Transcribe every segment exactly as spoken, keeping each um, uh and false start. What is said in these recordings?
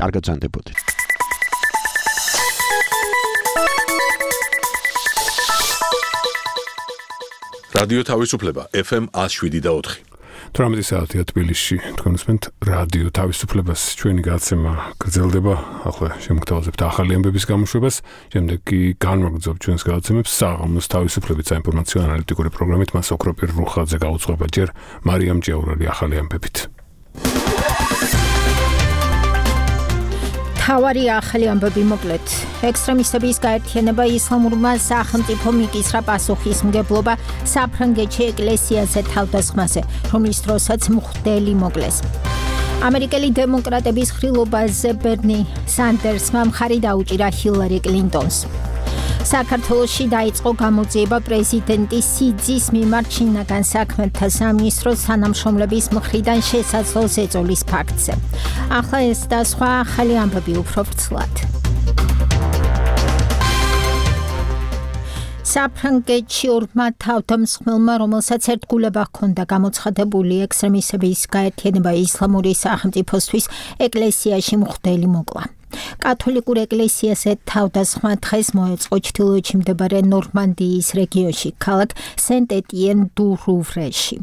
კარგად ზანდებოდეთ. რადიო თავისუფლება ეფ ემ one oh seven და four. თვრამეტი საათია თბილისში. თქვენ უსმენთ რადიო თავისუფლებას. ჩვენი გადაცემა გრძელდება. ახლა შემოგთავაზებთ ახალი ამბების გამოშვებას. შემდეგ კი განვაგრძობთ ჩვენს გადაცემებს საღამოს თავისუფლებით საინფორმაციო ანალიტიკური პროგრამით. მას ოქროპირ რუხაძე გაუძღვება ჯერ მარიამ ჭიაურელი ახალი ამბებით. თავარი ახალი ამბები მოკლედ. ექსტრემისტების გაერთიანება ისლამურმა სახელმწიფომ იკისრა პასუხისმგებლობა საფრანგეთში ეკლესიაზე თავდასხმაზე, რომლის დროსაც მღვდელი მოკლეს. ამერიკელი დემოკრატების ხილობაზე ბერნი სანდერსმა მხარი დაუჭირა ჰილარი კლინტონს. საქართველოში დაიწყო გამოძიება პრეზიდენტის სიძის მიმართ შინაგან საქმეთა სამინისტროს თანამშრომლების მხრიდან შესაძლო ზეწოლის ფაქტზე. ახლა ეს და სხვა ახალი ამბები უფრო ვრცლად. საფრანგეთში ორმა თავდამსხმელმა, რომელსაც ერთგულება ჰქონდა გამოცხადებული ექსტრემისტების გაერთიანება ისლამური სახელმწიფოსთვის ეკლესიაში მღვდელი მოკლა. კათოლიკურ ეკლესიაზე თავდასხმა დღეს მოეწყო ჩრდილოეთში მდებარე ნორმანდიის რეგიონში, ქალაქ სენტ-ეტიენ-დუ-რუვრეში.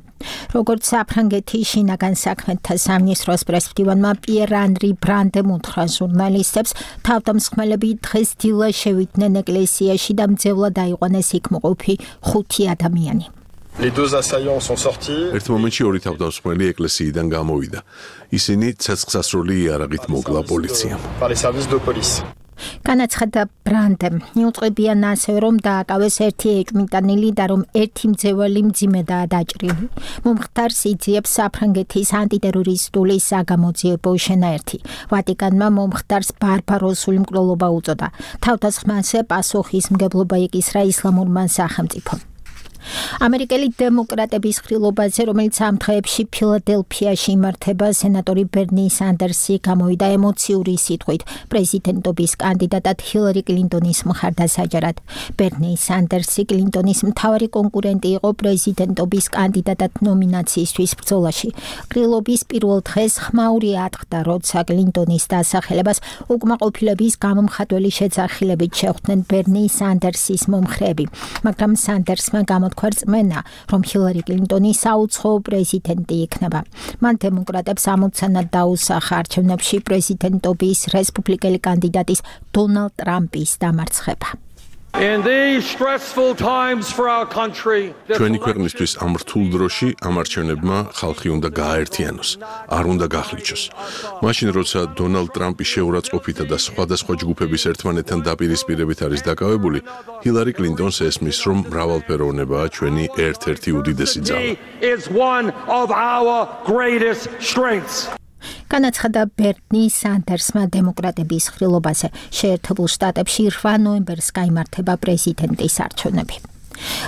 როგორც საფრანგეთის შინაგან საქმეთა სამინისტროს პრესმდივანმა პიერ ანრი ბრანდემ უთხრა ჟურნალისტებს, თავდამსხმელები დღეს დილა შევიდნენ ეკლესიაში და მძევლად აიყვანეს იქ მოყოფი ხუთი ადამიანი. ერთ მომენტში ორი თავდამსხმელი ეკლესიიდან გამოვიდა. ისინი ცეცხლსასროლი იარაღით მოკლა პოლიციამ. განაცხადა ბრანდემ, მიუწყებიან ასევე, რომ დააკავეს ერთი ეჭვმიტანილი და რომ ერთი მძევალი მძიმედაა დაჭრილი. მომხდარს იძიებს საფრანგეთის ანტიტერორისტული საგამოძიებო შენაერთი. ვატიკანმა მომხდარს ბარბაროსული მკვლელობა უწოდა. თავდასხმაზე პასუხისმგებლობა იკისრა ისლამურმა სახელმწიფომ. ამერიკელი დემოკრატების ხილობაზე, რომელიც ამ დღეებში ფილადელფიაში იმართება, სენატორი ბერნი სანდერსი გამოვიდა ემოციური სიტყვით პრეზიდენტობის კანდიდატად ჰილარი კლინტონის მხარდასაჯარად. ბერნი სანდერსი კლინტონის მთავარი კონკურენტი იყო პრეზიდენტობის კანდიდატად ნომინაციისთვის ბრძოლაში. ყრილობის პირველ დღეს ხმაური ატყდა, როცა კლინტონის დასახელებას უკმაყოფილების გამომხატველი შეძახილებით შეხვდნენ ბერნი სანდერსის მომხრეები, მაგრამ სანდერსმა გამო რწმენა, რომ ჰილარი კლინტონი საუცხოო პრეზიდენტი იქნება. მან დემოკრატებს ამოცანად დაუსახა არჩევნებში პრეზიდენტობის რესპუბლიკელი კანდიდატის დონალდ ტრამპის დამარცხება. ჩვენი ქვეყნისთვის ამ რთულ დროში ამ არჩევნებმა ხალხი უნდა გააერთიანოს, არ უნდა გახლიჩოს. მაშინ, როცა დონალდ ტრამპი შეურაცხყოფითა და სხვადასხვა ჯგუფების ერთმანეთთან დაპირისპირებით არის დაკავებული, ჰილარი კლინტონს ესმის, რომ მრავალფეროვნებაა ჩვენი ერთ-ერთი უდიდესი ძალა. განაცხადა ბერნი სანდერსმა დემოკრატების ხილობაზე. შეერთებულ შტატებში რვა ნოემბერს გაიმართება პრეზიდენტის არჩევნები.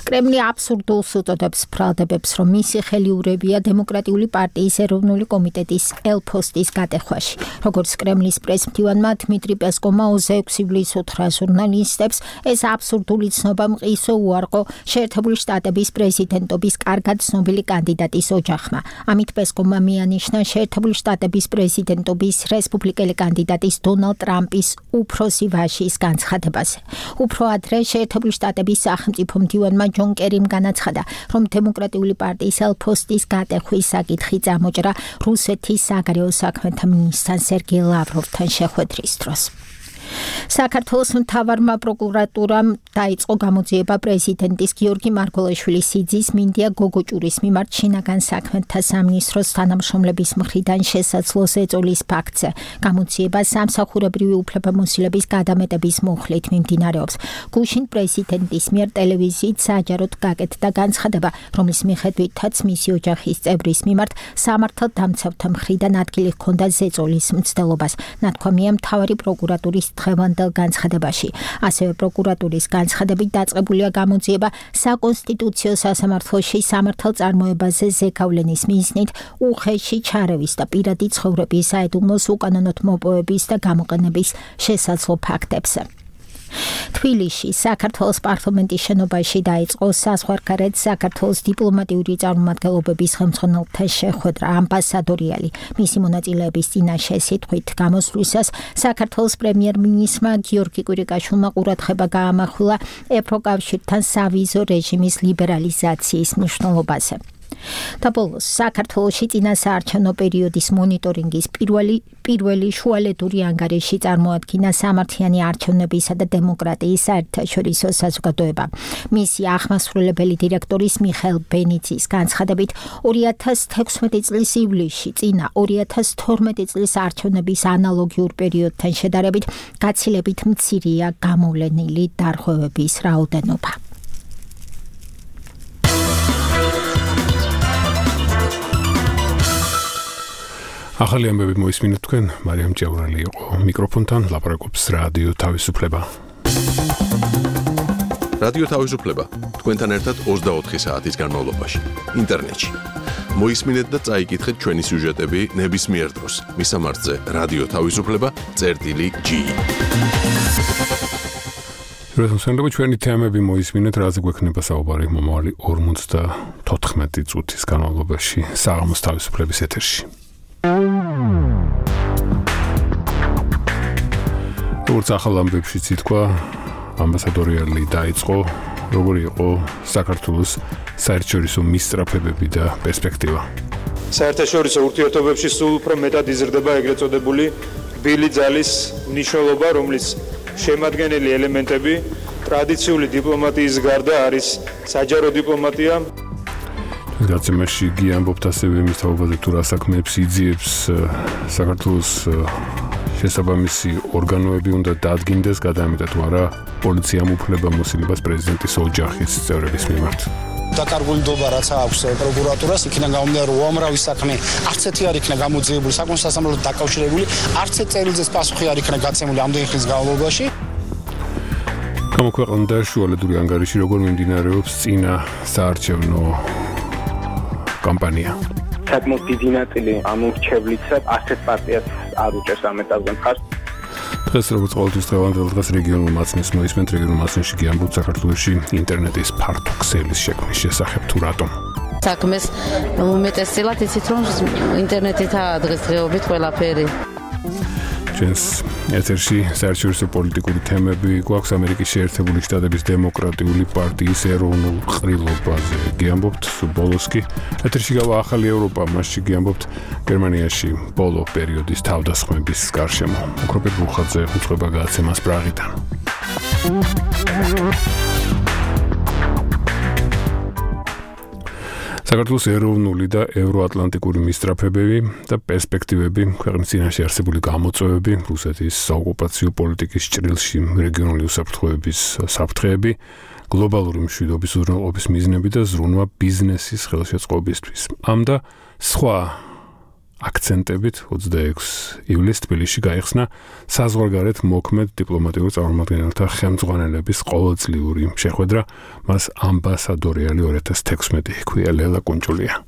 კრემლი აბსურდულს უწოდებს ბრალდებებს, რომ მისი ხელიურებია დემოკრატიული პარტიის ეროვნული კომიტეტის ელ-ფოსტის გატეხვაში. როგორც კრემლის პრესმდივანმა დმიტრი პესკოვმა ოცდაექვსი ივლისს უთხრა ჟურნალისტებს, ეს აბსურდული ცნობა მყისო უარყო შეერთებული შტატების პრეზიდენტობის კარგად ცნობილი კანდიდატის ოჯახმა. ამით პესკოვმა მიანიშნა შეერთებული შტატების პრეზიდენტობის რესპუბლიკელი კანდიდატის დონალდ ტრამპის უფროსი ვაჟის განცხადებაზე. უფრო ადრე შეერთებული შტატების სახელმწიფო მდივანმა ჯონ კერიმ განაცხადა, რომ დემოკრატიული პარტიის ელ-ფოსტის გატეხვის საკითხი წამოჭრა რუსეთის საგარეო საქმეთა მინისტრთან სერგეი ლავროვთან შეხვედრის დროს. საქართველოს მთავარმა პროკურატურამ დაიწყო გამოძიება პრეზიდენტის გიორგი მარგველაშვილის სიძის მინდია გოგოჭურის მიმართ შინაგან საქმეთა სამინისტროს თანამშრომლების მხრიდან შესაძლო ზეწოლის ფაქტზე. გამოძიება სამსახურებრივი უფლებამოსილების გადამეტების მუხლით მიმდინარეობს. გუშინ პრეზიდენტის მიერ ტელევიზიით საჯაროდ გაკეთდა განცხადება, რომლის მიხედვითაც მისი ოჯახის წევრის მიმართ სამართალდამცავთა მხრიდან ადგილი ჰქონდა ზეწოლის მცდელობას. ნათქვამია მთავარი პროკურატურის დღევანდელ განცხადებაში. ასევე პროკურატურის განცხადებით დაწყებულია გამოძიება საკონსტიტუციო სასამართლოში სამართალწარმოებაზე ზეგავლენის მიზნით უხეში ჩარევის და პირადი ცხოვრების საიდუმლოს უკანონოდ მოპოვების და გამოყენების შესაძლო ფაქტებზე. თბილისში საქართველოს პარლამენტის შენობაში დაიწყო საზღვარგარეთ საქართველოს დიპლომატიური წარმომადგენლობების ხელმძღვანელთა შეხვედრა ამბასადორიალი მისი მონაწილეების წინაშე სიტყვით გამოსვლისას საქართველოს პრემიერ-მინისტრმა გიორგი კვირიკაშვილმა ყურადღება გაამახვილა ევროკავშირთან სავიზო რეჟიმის ლიბერალიზაციის მნიშვნელობაზე. და ბოლოს საქართველოში წინასაარჩევნო პერიოდის მონიტორინგის პირველი პირველი შუალედური ანგარიში წარმოადგინა სამართლიანი არჩევნებისა და დემოკრატიის საერთაშორისო საზოგადოება. მისი აღმასრულებელი დირექტორის მიხეილ ბენიცის განცხადებით ორი ათას თექვსმეტი წლის ივლისში წინა ორი ათას თორმეტი წლის არჩევნების ანალოგიურ პერიოდთან შედარებით გაცილებით მცირეა გამოვლენილი დარღვევების რაოდენობა. ახალი ამბები მოისმინეთ თქვენ, მარიამ ჭევრალი იყო მიკროფონთან, ლაპარაკობს რადიო თავისუფლება. რადიო თავისუფლება თქვენთან ერთად ოცდაოთხი საათის განმავლობაში, ინტერნეტში. მოისმინეთ და წაიკითხეთ ჩვენი სიუჟეტები ნებისმიერ დროს. მისამართზე რადიო თავისუფლება წერტილი ჯი. რუსეთში ჩვენი თემები მოისმინეთ, რაზე გვექნება საუბარი მომავალი ორმოცდათოთხმეტი წუთის განმავლობაში საღამოს თავისუფლების ეთერში. როგორც ახალ ამბებშიც ითქვა, ამბასადორიალი დაიწყო, როგორი იყო საქართველოს საერთაშორისო მისწრაფებები და პერსპექტივა. საერთაშორისო ურთიერთობებში სულ უფრო მეტად იზრდება ეგრეთ წოდებული რბილი ძალის მნიშვნელობა, რომლის შემადგენელი ელემენტები ტრადიციული დიპლომატიის გარდა არის საჯარო დიპლომატია. გაცემაში გიამბობთ ასევე მის თაობაზე თუ რა საქმეებს იძიებს საქართველოს შესაბამისი ორგანოები უნდა დადგინდეს, გადაამეტა თუ არა პოლიციამ უფლება მოსილებას პრეზიდენტის ოჯახის წევრების მიმართ. დაკარგულობა რაც აქვს პროკურატურას, იქიდან გამომდინარე რომ უამრავი საქმე არც ერთი არ იქნა გამოძიებული, საკუთარ სასამართლოდ დაკავშირებული, არც ერთ წერილზეც პასუხი არ იქნა გაცემული ამდენი ხნის განმავლობაში. გამოქვეყნდა შუალედური ანგარიში, როგორ მიმდინარეობს წინა საარჩევნო კამპანია. საკმაოდ დიდი ნაწილი ამორჩევლისა ასეთ პარტიას არ უჭერს ამ ეტაპზე მხარს. დღეს როგორც ყოველთვის დღევანდელ დღეს რეგიონულ მაცნეს მოისმენთ, რეგიონულ მაცნეში გიამბობთ საქართველოში ინტერნეტის ფართო ქსელის შექმნის შესახებ თუ რატომ. საქმეს უმეტესწილად იცით რომ ინტერნეტითაა დღესდღეობით ყველაფერი. ჩვენს ეთერში საერთაშორისო პოლიტიკური თემები გვაქვს ამერიკის შეერთებული შტატების დემოკრატიული პარტიის ეროვნულ ყრილობაზე. გიამბობთ ბოლოს კი ეთერში გავა ახალი ევროპა, მასში გიამბობთ გერმანიაში ბოლო პერიოდის თავდასხმების გარშემო. უქროპეთ ბუხაძე უწყება გააცემას პრაღიდან. საქართველოს ეროვნული და ევროატლანტიკური მისწრაფებები და პერსპექტივები, ქვეყნის წინაშე არსებული გამოწვევები, რუსეთის საოკუპაციო პოლიტიკის ჭრილში რეგიონული უსაფრთხოების საფრთხეები, გლობალური მშვიდობის უზრუნველყოფის მიზნები და ზრუნვა ბიზნესის ხელშეწყობისთვის. ამ და სხვა აქცენტებით ოცდაექვსი ივლისს თბილისში გაიხსნა საზღვარგარეთ მოქმედ დიპლომატიურ წარმომადგენელთა ხელმძღვანელების ყოველწლიური შეხვედრა, მას ამბასადორიალი ორი ათას თექვსმეტი ჰქვია. ლელა კუნჭულია.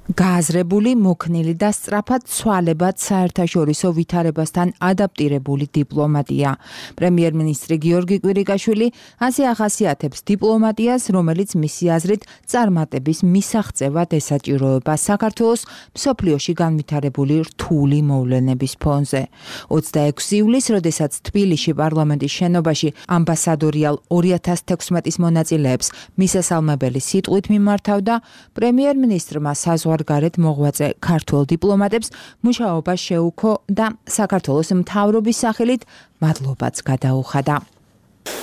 გააზრებული, მოქნილი და სწრაფად ცვალებად საერთაშორისო ვითარებასთან ადაპტირებული დიპლომატია. პრემიერ-მინისტრი გიორგი კვირიკაშვილი ასე ახასიათებს დიპლომატიას, რომელიც მისი აზრით წარმატების მისაღწევად ესაჭიროება საქართველოს მსოფლიოში განვითარებული რთული მოვლენების ფონზე. ოცდაექვსი ივლისს, როდესაც თბილისში პარლამენტის შენობაში ამბასადორიალ ორი ათას თექვსმეტის მონაწილეებს მისასალმებელი სიტყვით მიმართავდა, პრემიერ-მინისტრმა საზღვარგარეთ მოღვაწე ქართველ დიპლომატებს მუშაობა შეუქო და საქართველოს მთავრობის სახელით მადლობაც გადაუხადა.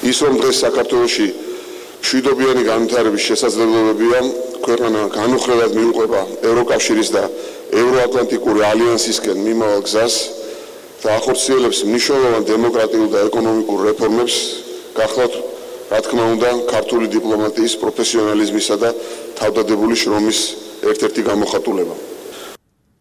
ის რომ დღეს საქართველოში მშვიდობიანი განვითარების შესაძლებლობებია, ქვეყანა განუხრელად მიუყვება ევროკავშირის და ევროატლანტიკური ალიანსისკენ მიმავალ გზას და ახორციელებს მნიშვნელოვან დემოკრატიულ და ეკონომიკურ რეფორმებს, გახლავთ რა თქმა უნდა ქართული დიპლომატიის პროფესიონალიზმისა და თავდადებული შრომის ერთ-ერთი გამოხატულება.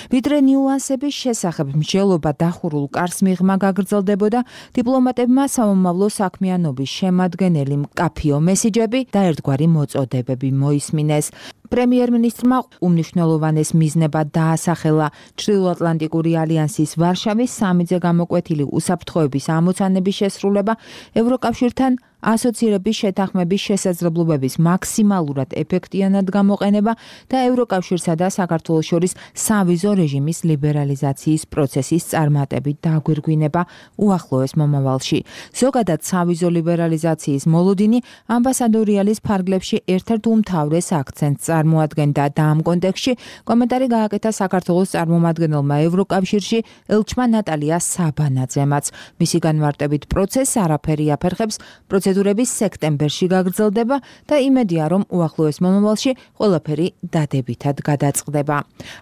ვიდრე ნიუანსების შესახებ მსჯელობა დახურულ კარს მიღმა გაგრძელდებოდა, დიპლომატებმა სამომავლო საქმიანობის შემადგენელი მკაფიო მესიჯები და ერთგვარი მოწოდებები მოისმინეს. პრემიერ-მინისტრმა უმნიშვნელოვანეს მიზნებად დაასახელა ჩრდილოატლანტიკური ალიანსის ვარშავის სამიძე გამოკვეთილი უსაფრთხოების ამოცანების შესრულება, ევროკავშირთან ასოცირების შეთანხმების შესაძლებლობების მაქსიმალურად ეფექტიანად გამოყენება და ევროკავშირსა და საქართველოს შორის სავიზო რეჟიმის ლიბერალიზაციის პროცესის წარმატებით დაგვირგვინება უახლოეს მომავალში. ზოგადად სავიზო ლიბერალიზაციის მოლოდინი ამბასადორიალის ფარგლებში ერთ-ერთ უმთავრეს აქცენტს წარმოადგენდა და ამ კონტექსტში კომენტარი გააკეთა საქართველოს წარმომადგენელმა ევროკავშირში ელჩმა ნატალია საბანაძემაც. მისი განმარტებით პროცესს არაფერი აფერხებს, პროცედურები სექტემბერში გაგრძელდება და იმედია, რომ უახლოეს მომავალში ყველაფერი დადებითად გადაწყდება.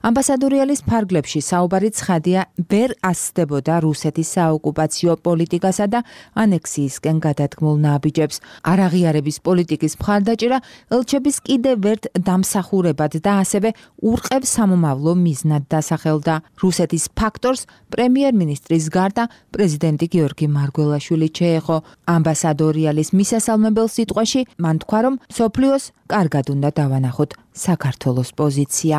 ამბასადორიალის ფარგლებში საუბარი ცხადია, ვერ ასწდებოდა რუსეთის საოკუპაციო პოლიტიკასა და ანექსიისკენ გადადგმულ ნაბიჯებს. არაღიარების პოლიტიკის მხარდაჭერა ელჩების კიდევ ერთ დამსახურებად და ასევე ურყევ სამომავლო მიზნად დასახელდა. რუსეთის ფაქტორს პრემიერ-მინისტრის გარდა პრეზიდენტი გიორგი მარგველაშვილი შეეხო. ამბასადორიალის მისასალმებელ სიტყვაში მან თქვა, რომ მსოფლიოს კარგად უნდა დავანახოთ საქართველოს პოზიცია.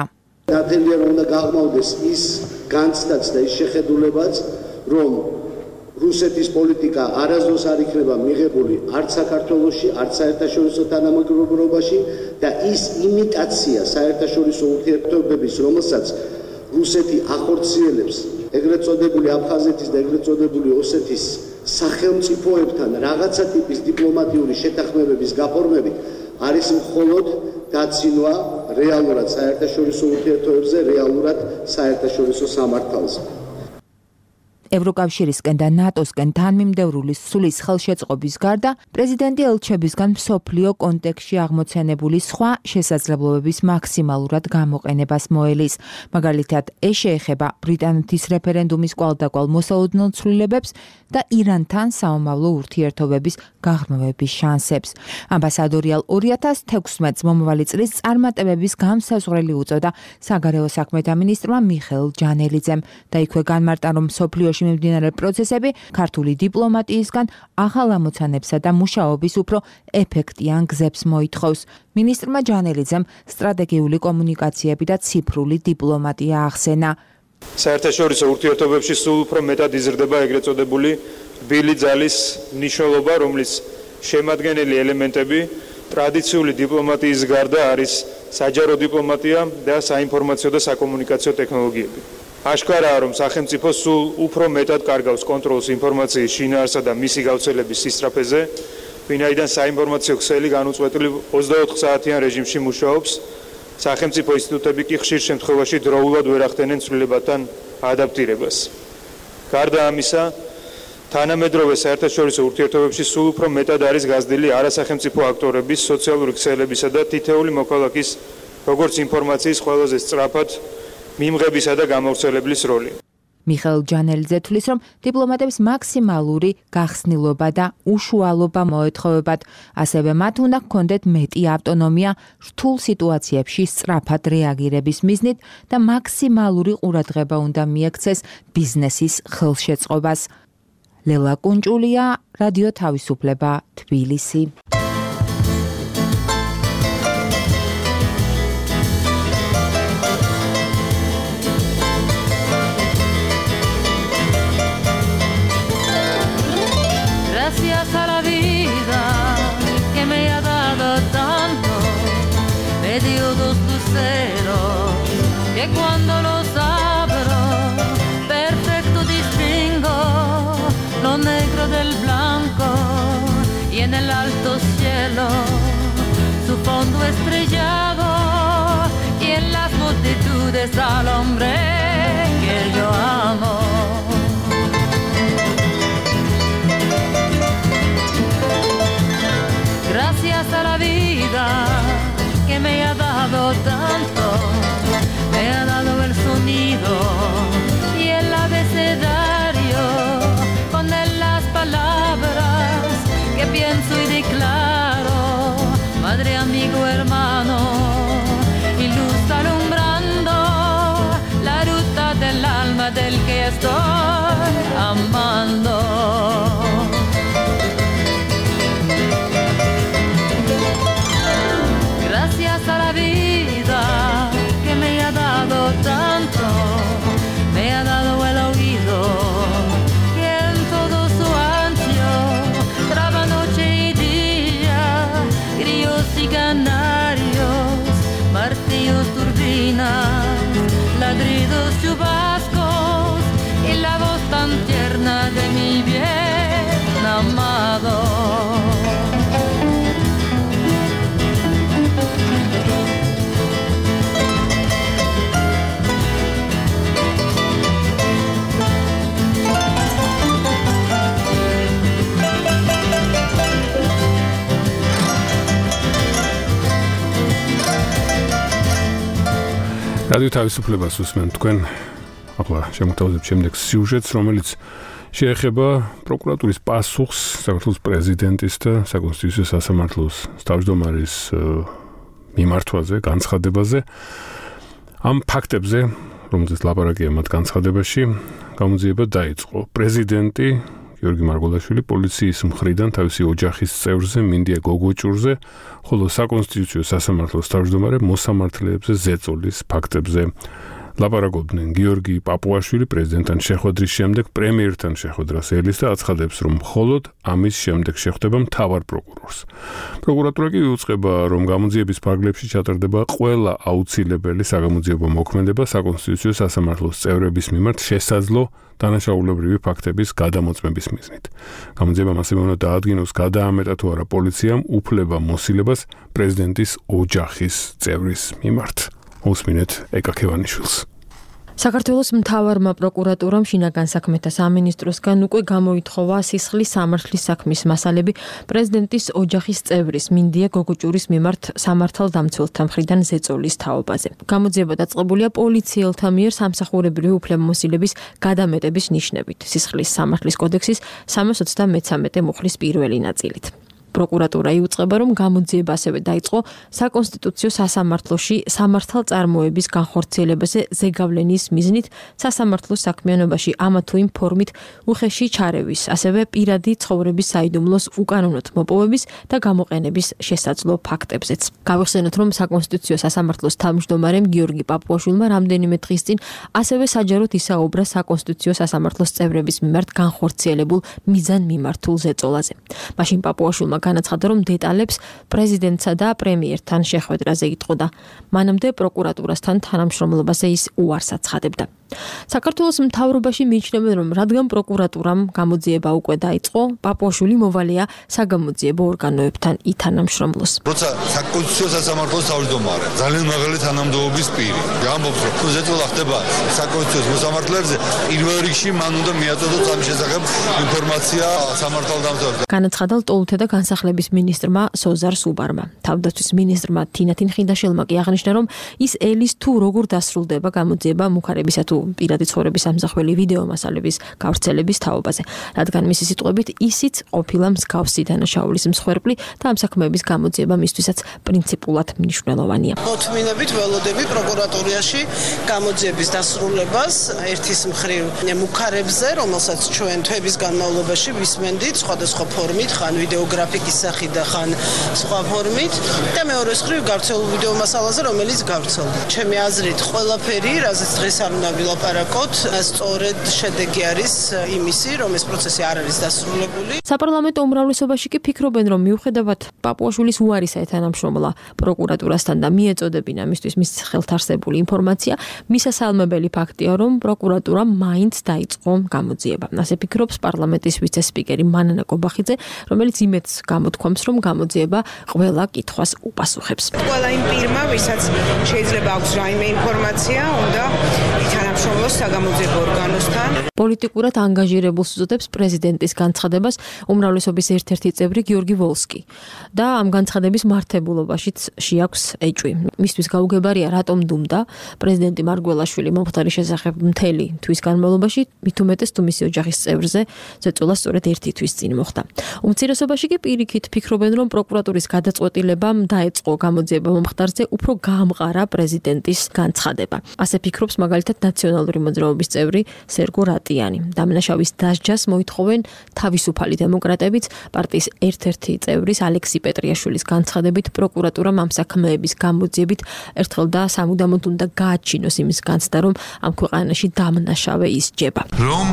ნათელია რომ უნდა გაღმავდეს ის განცდაც და ის შეხედულებაც, რომ რუსეთის პოლიტიკა არასდროს არ იქნება მიღებული არც საქართველოში, არც საერთაშორისო თანამეგობრობაში და ის იმიტაცია საერთაშორისო ურთიერთობების, რომელსაც რუსეთი ახორციელებს ეგრეთ წოდებული აფხაზეთის და ეგრეთ წოდებული ოსეთის სახელმწიფოებთან რაღაცა ტიპის დიპლომატიური შეთანხმებების გაფორმებით არის მხოლოდ დაცინვა რეალურად საერთაშორისო ურთიერთობებზე, რეალურად საერთაშორისო სამართალზე. ევროკავშირისკენ და ნატოსკენ თანმიმდევრული სულის ხელშეწყობის გარდა პრეზიდენტი ელჩებისგან მსოფლიო კონტექსტში აღმოცენებული სხვა შესაძლებლობების მაქსიმალურად გამოყენებას მოელის. მაგალითად, ეს შეეხება ბრიტანეთის რეფერენდუმის კვალდაკვალ მოსალოდნელ ცვლილებებს და ირანთან საომავლო ურთიერთობების გაღრმავების შანსებს. ამბასადორიალ ორი ათას თექვსმეტს მომავალი წლის წარმატებების გამსაზღვრელი უწოდა საგარეო საქმეთა მინისტრმა მიხეილ ჯანელიძემ და იქვე განმარტა, რომ მსოფლიოში მიმდინარე პროცესები ქართული დიპლომატიისგან ახალ ამოცანებსა და მუშაობის უფრო ეფექტიან გზებს მოითხოვს. მინისტრმა ჯანელიძემ სტრატეგიული კომუნიკაციები და ციფრული დიპლომატია ახსენა. საერთაშორისო ურთიერთობებში სულ უფრო მეტად იზრდება ეგრეთ წოდებული რბილი ძალის მნიშვნელობა, რომლის შემადგენელი ელემენტები ტრადიციული დიპლომატიის გარდა არის საჯარო დიპლომატია და საინფორმაციო და საკომუნიკაციო ტექნოლოგიები. აშკარაა, რომ სახელმწიფო სულ უფრო მეტად კარგავს კონტროლს ინფორმაციის შინაარსა და მისი გავრცელების სისწრაფეზე, ვინაიდან საინფორმაციო ქსელი განუწყვეტლივ ოცდაოთხ საათიან რეჟიმში მუშაობს. სახელმწიფო ინსტიტუტები კი ხშირ შემთხვევაში დროულად ვერ ახდენენ ცვლილებათან ადაპტირებას. გარდა ამისა, თანამედროვე საერთაშორისო ურთიერთობებში სულ უფრო მეტად არის გაზრდილი არასახელმწიფო აქტორების, სოციალური ქსელებისა და თითეული მოქალაქის, როგორც ინფორმაციის ყველაზე სწრაფად მიმღებისა და გამავრცელებლის როლი. მიხეილ ჯანელიძე თვლის, რომ დიპლომატებს მაქსიმალური გახსნილობა და უშუალობა მოეთხოვებათ, ასევე მათ უნდა ჰქონდეთ მეტი ავტონომია რთულ სიტუაციებში სწრაფად რეაგირების მიზნით და მაქსიმალური ყურადღება უნდა მიექცეს ბიზნესის ხელშეწყობას. ლელა კუნჭულია, რადიო თავისუფლება, თბილისი. Gracias a la vida que me ha dado tanto, me dio dos luceros que cuando los abro perfecto distingo lo negro del blanco y en el alto cielo su fondo estrellado y en las multitudes al hombre que yo amo. Gracias a la vida que me ha dado tanto, me ha dado el sonido y el abecedario, con él las palabras que pienso y declaro, madre, amigo, hermano, y luz alumbrando la luz. რადიო თავისუფლებას უსმენთ თქვენ. ახლა შემოგთავაზებთ შემდეგ სიუჟეტს, რომელიც შეეხება პროკურატურის პასუხს საქართველოს პრეზიდენტის და საკონსტიტუციო სასამართლოს თავმჯდომარის მიმართვაზე, განცხადებაზე. ამ ფაქტებზე, რომელზეც ლაპარაკია მათ განცხადებაში, გამოძიება დაიწყო. პრეზიდენტი გიორგი მარგველაშვილი პოლიციის მხრიდან თავისი ოჯახის წევრზე, მინდია გოგოჭურზე, ხოლო საკონსტიტუციო სასამართლოს თავმჯდომარე მოსამართლეებზე ზეწოლის ფაქტებზე ლაპარაკობდნენ. გიორგი პაპუაშვილი პრეზიდენტთან შეხვედრის შემდეგ პრემიერთან შეხვედრას ელის და აცხადებს, რომ მხოლოდ ამის შემდეგ შეხვდება მთავარ პროკურორს. პროკურატურა კი იუწყება, რომ გამოძიების ფარგლებში ჩატარდება ყველა აუცილებელი საგამოძიებო მოქმედება საკონსტიტუციო სასამართლოს წევრების მიმართ შესაძლო დანაშაულებრივი ფაქტების გადამოწმების მიზნით. გამოძიებამ ასევე უნდა დაადგინოს გადაამეტა თუ არა პოლიციამ უფლება მოსილებას პრეზიდენტის ოჯახის წევრის მიმართ. უსმინეთ ეკა ქევანიშვილს. საქართველოს მთავარმა პროკურატურამ შინაგან საქმეთა სამინისტროსგან უკვე გამოითხოვა სისხლის სამართლის საქმის მასალები პრეზიდენტის ოჯახის წევრის მინდია გოგოჭურის მიმართ სამართალდამცველთა მხრიდან ზეწოლის თაობაზე. გამოძიება დაწყებულია პოლიციელთა მიერ სამსახურებრივი უფლებამოსილების გადამეტების ნიშნებით სისხლის სამართლის კოდექსის სამას ოცდამეცამეტე მუხლის პირველი ნაწილით. პროკურატურა იუწყება, რომ გამოძიება ასევე დაიწყო საკონსტიტუციო სასამართლოში სამართალწარმოების განხორციელებაზე ზეგავლენის მიზნით სასამართლოს საქმიანობაში ამა თუ იმ ფორმით უხეში ჩარევის, ასევე პირადი ცხოვრების საიდუმლოს უკანონოდ მოპოვების და გამოყენების შესაძლო ფაქტებზეც. გავიხსენოთ, რომ საკონსტიტუციო სასამართლოს თავმჯდომარემ გიორგი პაპუაშვილმა რამდენიმე დღის წინ ასევე საჯაროდ ისაუბრა საკონსტიტუციო სასამართლოს წევრების მიმართ განხორციელებულ მიზანმიმართულ ზეწოლაზე. მაშინ პაპუაშვილმა განაცხადა, რომ დეტალებს პრეზიდენტსა და პრემიერთან შეხვედრაზე იტყოდა. მანამდე პროკურატურასთან თანამშრომლობაზე ის უარს აცხადებდა. საქართველოს მთავრობაში მიიჩნევენ, რომ რადგან პროკურატურამ გამოძიება უკვე დაიწყო, პაპუაშვილი მოვალეა საგამოძიებო ორგანოებთან ითანამშრომლოს. როცა საკონსტიტუციო სასამართლოს თავმჯდომარე ძალიან მაღალი თანამდებობის პირი ამბობს, რომ ზეწოლა ხდება საკონსტიტუციო მოსამართლეებზე, პირველ რიგში მან უნდა მიაწოდოს ამ შესახებ ინფორმაცია სამართალდამცველებს. განაცხადა ლტოლთა და განსახლების მინისტრმა სოზარ სუბარმა. თავდაცვის მინისტრმა თინათინ ხინდაშელმა კი აღნიშნა, რომ ის ელის თუ როგორ დასრულდება გამოძიება მუხარებისა თუ პირადი ცხოვრების ამსახველი ვიდეო მასალების გავრცელების თაობაზე, რადგან მისი სიტყვებით ისიც ყოფილა მსგავსი დანაშაულის მსხვერპლი და ამ საქმეების გამოძიება მისთვისაც პრინციპულად მნიშვნელოვანია. მოთმინებით ველოდები პროკურატურაში გამოძიების დასრულებას ერთის მხრივ მუხარებზე, რომელსაც ჩვენ თვეების განმავლობაში ვისმენდით სხვადასხვა ფორმით, ხან ვიდეოგრაფიკის სახით და ხან სხვა ფორმით და მეორეს მხრივ გავრცელულ ვიდეო მასალაზე, რომელიც გავრცელდა. ჩემი აზრით, ყველაფერი, რაზეც დღეს არ უნდა ვილაპარაკოთ, სწორედ შედეგი არის იმისი, რომ ეს პროცესი არ არის დასრულებული. საპარლამენტო უმრავლესობაში კი ფიქრობენ, რომ მიუხედავად პაპუაშვილის უარისა ეთანამშრომლა პროკურატურასთან და მიეწოდებინა მისთვის მის ხელთ არსებული ინფორმაცია, მისასალმებელი ფაქტია, რომ პროკურატურა მაინც დაიწყო გამოძიება. ასე ფიქრობს პარლამენტის ვიცე-სპიკერი მანანა კობახიძე, რომელიც იმედს გამოთქვამს, რომ გამოძიება ყველა კითხვას უპასუხებს. ყველა იმ პირმა, ვისაც შეიძლება აქვს რაიმე ინფორმაცია, უნდა ითანამშრომლოს საგამოძიებო ორგანოსთან. პოლიტიკურად ანგაჟირებულს უწოდებს პრეზიდენტის განცხადებას უმრავლესობის ერთ-ერთი წევრი გიორგი ვოლსკი და ამ განცხადების მართებულობაშიც შეაქვს ეჭვი. მისთვის გაუგებარია, რატომ დუმდა პრეზიდენტი მარგველაშვილი მომხდარის შესახებ მთელი თვის განმავლობაში, მით უმეტეს თუ მისი ოჯახის წევრზე ზეწოლა სწორედ ერთი თვის წინ მოხდა. უმცირესობაში კი პირიქით ფიქრობენ, რომ პროკურატურის გადაწყვეტილებამ დაეწყო გამოძიება მომხდარზე უფრო გაამყარა პრეზიდენტის განცხადება. ასე ფიქრობს მაგალითად ნაციონალური მოძრაობის წევრი სერგო რატიანი. დამნაშავის დასჯას მოითხოვენ თავისუფალი დემოკრატებიც, პარტიის ერთ-ერთი წევრის ალექსი პეტრიაშვილის განცხადებით პროკურატურამ ამ საქმეების გამოძიებით ერთხელ და სამუდამოდ უნდა გააჩინოს იმის განცდა, რომ ამ ქვეყანაში დამნაშავე ისჯება. რომ